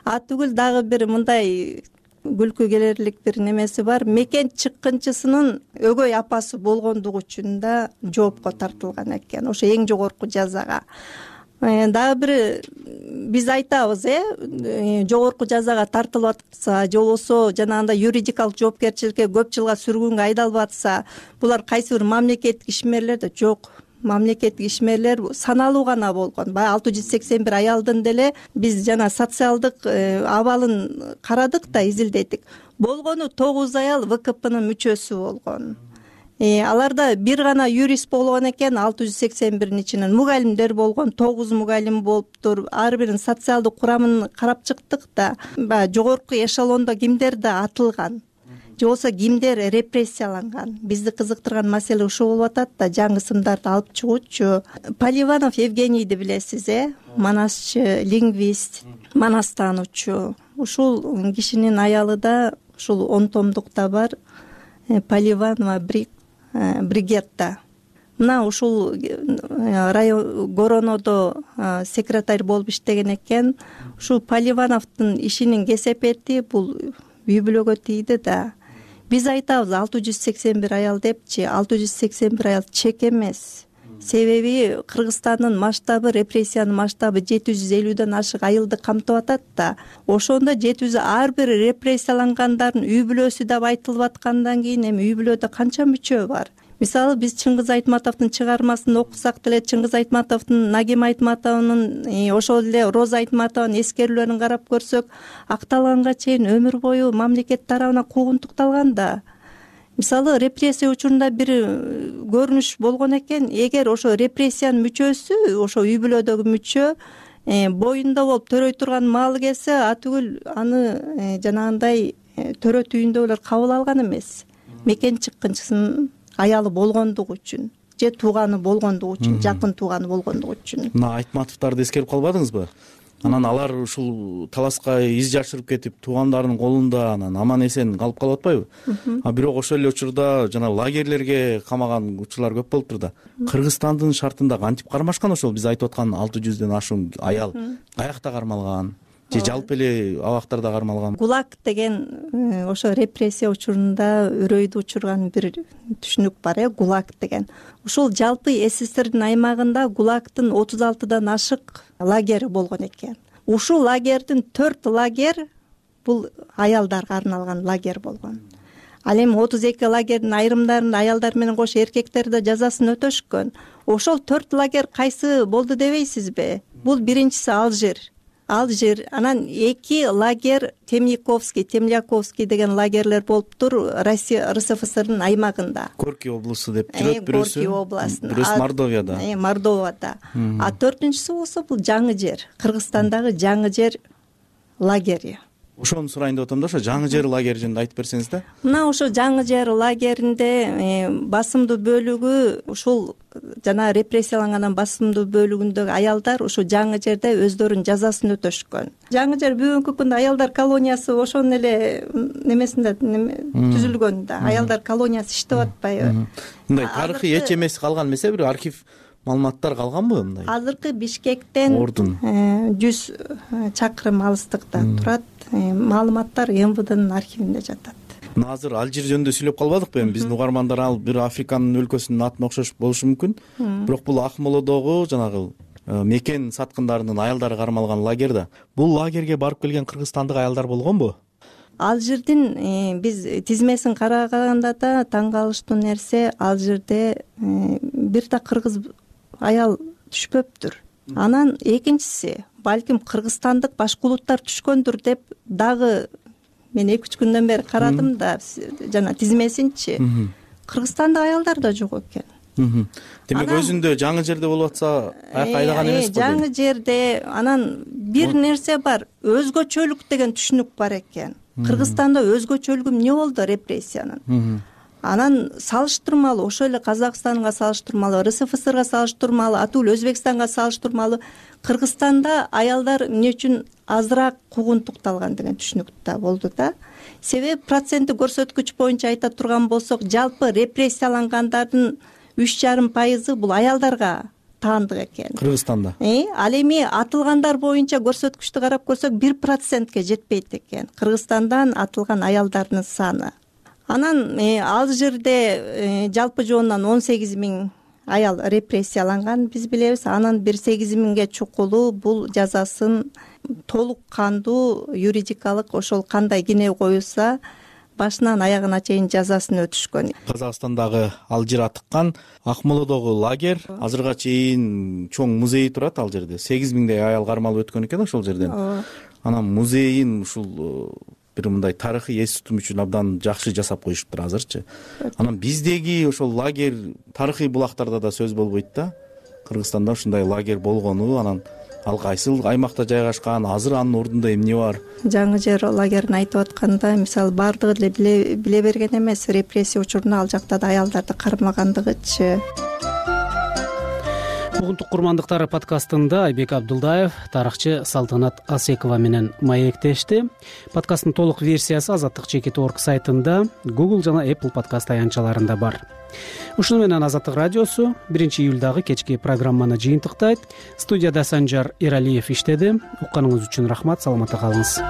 А түгүл дагы бир мындай күлкү келерлик бир немеси бар. Мекен чыккынчысынын өгөй апасы болгондугу үчүн да жоопко тартылган экен. Ошо эң жогорку жазага. Дагы бир биз айтабыз, э, жогорку жазага тартылып атса, же болбосо жанагындай юридикалык жоопкерчиликке көп жылга сүргүнгө айдалып атса, булар кайсы бир мамлекеттик ишмерлер да жок. Мамлекеттик ишмерлер саналуу гана болгон. Баягы алты жүз сексен бир аялдын деле биз жана социалдык абалын карадык да изилдедик. Болгону тогуз аял вэ ка пнын мүчөсү болгон. аларда бир гана юрист болгон экен, алты жүз сексен биринин ичинен мугалимдер болгон, тогуз мугалим болуптур. Ар биринин социалдык курамын карап чыктык да, баягы жогорку эшелондо кимдер да атылган же болбосо кимдер репрессияланган. Бизди кызыктырган маселе ушул болуп атат да, жаңы сымдарды алып чыгуучу. Поливанов Евгенийди билесиз, э манасчы, лингвист, манастануучу. Ушул кишинин аялы да ушул он томдукта бар, Поливанова Бригетта. Мына ушул район Горонодо секретарь болуп иштеген экен. Ушул Поливановдун ишинин кесепети бул үй бүлөгө тийди да. Биз айтабыз алты жүз сексен бир аял депчи, алты жүз сексен бир аял чек эмес. Себеби Кыргызстандын масштабы, репрессиянын масштабы жети жүз элүүдөн ашык айылды камтып атат да. Ошондо жети жүз ар бир репрессиялангандардын үй бүлөсү деп айтылып аткандан кийин эми үй бүлөдө канча мүчө бар? Мисалы биз Чыңгыз Айтматовдун чыгармасын окусак деле, Чыңгыз Айтматовдун, Нагим Айтматовдун, ошол эле Роза Айтматованын эскерүүлөрүн карап көрсөк, акталганга чейин өмүр бою мамлекет тарабынан куугунтукталган да. Мисалы репрессия учурунда бир көрүнүш болгон экен, эгер ошо репрессиянын мүчөсү, ошо үй бүлөдөгү мүчө боюнда болуп төрөй турган маалы келсе, атүгүл аны жанагындай төрөт үйүндө эле кабыл алган эмес. Мекен чыккынчысын аялы болгондугу үчүн же тууганы болгондугу үчүн, жакын тууганы болгондугу үчүн. Мына Айтматовдорду эскерип калбадыңызбы? Анан алар ушул таласка из жашырып кетип, туугандарынын колунда анан аман эсен калып калып атпайбы? А бирок ошол эле учурда жана лагерлерге камаган учурлар көп болуптур да. Кыргызстандын шартында кантип кармашкан ошол биз айтып аткан алты жүздөн ашуун аял? Каякта кармалган? Же жалпы эле абактарда кармалган? ГУЛАГ деген ошо репрессия учурунда үрөйдү учурган бир түшүнүк бар, э ГУЛАГ деген. Ушул жалпы СССРдин аймагында ГУЛАГдын отуз алтыдан ашык лагери болгон экен. Ушул лагердин төрт лагер бул аялдарга арналган лагер болгон. Ал эми отуз эки лагердин айрымдарында аялдар менен кошо эркектер да жазасын өтөшкөн. Ошол төрт лагер кайсы болду дебейсизби? Бул биринчиси Алжир. Алжир, анан эки лагер Темниковский, Темляковский деген лагерлер болуптур Россия РСФСРдын аймагында. Горки облусу деп жүрөт бирөөсү. Горки областында. Бирөөсү Мордовияда. Э, Мордовияда. А төртүнчүсү болсо бул Жаңы жер, Кыргызстандагы Жаңы жер лагери. Ошону сурайын деп атам да, ошо Жаңы жер лагери жөнүндө айтып берсеңиз да. Мына ошо Жаңы жер лагеринде басымдуу бөлүгү ушул жана репрессиялангандан басымдуу бөлүгүндөгү аялдар ушу Жаңы жерде өздөрүнүн жазасын өтөшкөн. Жаңы жер бүгүнкү күндө аялдар колониясы ошонун эле немесинде түзүлгөн да. Аялдар колониясы иштеп атпайбы? Мындай тарыхый эч эмеси калган эмес, бир архив маалыматтар калганбы мындай? Азыркы Бишкектен жүз чакырым алыстыкта турат. Маалыматтар МВДнын архивинде жатат. Мына азыр Алжир жөнүндө сүйлөп калбадыкпы эми? Биздин угармандар ал бир Африканын өлкөсүнүн атына окшош болушу мүмкүн. Бирок бул Акмолодогу жанагы мекен саткындарынын аялдары кармалган лагер да. Бул лагерге барып келген кыргызстандык аялдар болгонбу? Алжирдин биз тизмесин караганда да таң калыштуу нерсе, Алжирде бир да кыргыз аял түшпөптүр. Анан экинчиси, балким кыргызстандык башкулуттар түшкөндүр деп дагы мен эки үч күндөн бери карадым да, жана тизмесинчи. Кыргызстандык аялдар да жок экен. Демек өзүндө Жаңы жерде болуп атса, аяка айдаган эмес го? Жаңы жерде анан бир нерсе бар, өзгөчөлүк деген түшүнүк бар экен. Кыргызстанда өзгөчөлүгү эмне болду репрессиянын? Анан салыштырмалуу, ошол эле Казакстанга салыштырмалуу, РСФСРга салыштырмалуу, атүгүл Өзбекстанга салыштырмалуу Кыргызстанда аялдар эмне үчүн азыраак куугунтукталган деген түшүнүк да болду да. Себеби проценттик көрсөткүч боюнча айта турган болсок, жалпы репрессиялангандардын үч жарым пайызы бул аялдарга таандык экен. Кыргызстанда. Э, ал эми атылгандар боюнча көрсөткүчтү карап көрсөк, бир процентке жетпейт экен Кыргызстандан атылган аялдардын саны. Анан Алжирде жалпы жоонунан он сегиз миң аял репрессияланган биз билебиз. Анан бир сегиз миңге чукулу бул жазасын толук кандуу юридикалык ошол кандай кине коюлса башынан аягына чейин жазасын өтүшкөн. Казакстандагы Алжир атыккан Акмолодогу лагер азырга чейин чоң музей турат ал жерде. сегиз миңдей аял кармалып өткөн экен ошол жерден. Анан музейин ушул бир мындай тарыхый эс тутум үчүн абдан жакшы жасап коюшуптур азырчы. Анан биздеги ошол лагерь тарыхый булактарда да сөз болбойт да. Кыргызстанда ушундай лагерь болгону, анан ал кайсыл аймакта жайгашкан, азыр анын ордунда эмне бар? Жаңы жер лагерин айтып атканда, мисалы баардыгы эле биле берген эмес, репрессия учурунда ал жакта да аялдарды кармагандыгычы. Угунтук курмандыктары подкастында Айбек Абдулдаев, тарыхчы Салтанат Асекова менен маектешти. Подкасттын толук версиясы азаттык чекит точка орг сайтында, Google жана Apple подкаст аянтчаларында бар. Ушуну менен Азаттык радиосу биринчи июлдагы кечки программаны жыйынтыктайт. Студияда Санжар Эралиев иштеди. Укканыңыз үчүн рахмат, саламатта калыңыз.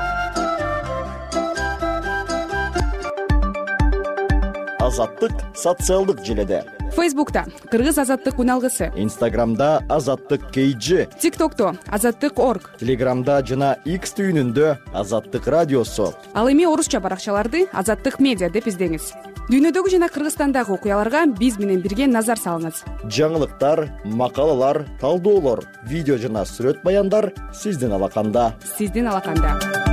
Азаттык социалдык желеде. Фейсбукта Кыргыз азаттык үналгысы, Инстаграмда Азаттык кейжи, ТикТокто Азаттык точка орг, Телеграмда жана X түйүнүндө Азаттык радиосу. Ал эми орусча баракчаларды Азаттык медиа деп издеңиз. Дүйнөдөгү жана Кыргызстандагы окуяларга биз менен бирге назар салыңыз. Жаңылыктар, макалалар, талдоолор, видео жана сүрөт баяндар сиздин алаканда. Сиздин алаканда.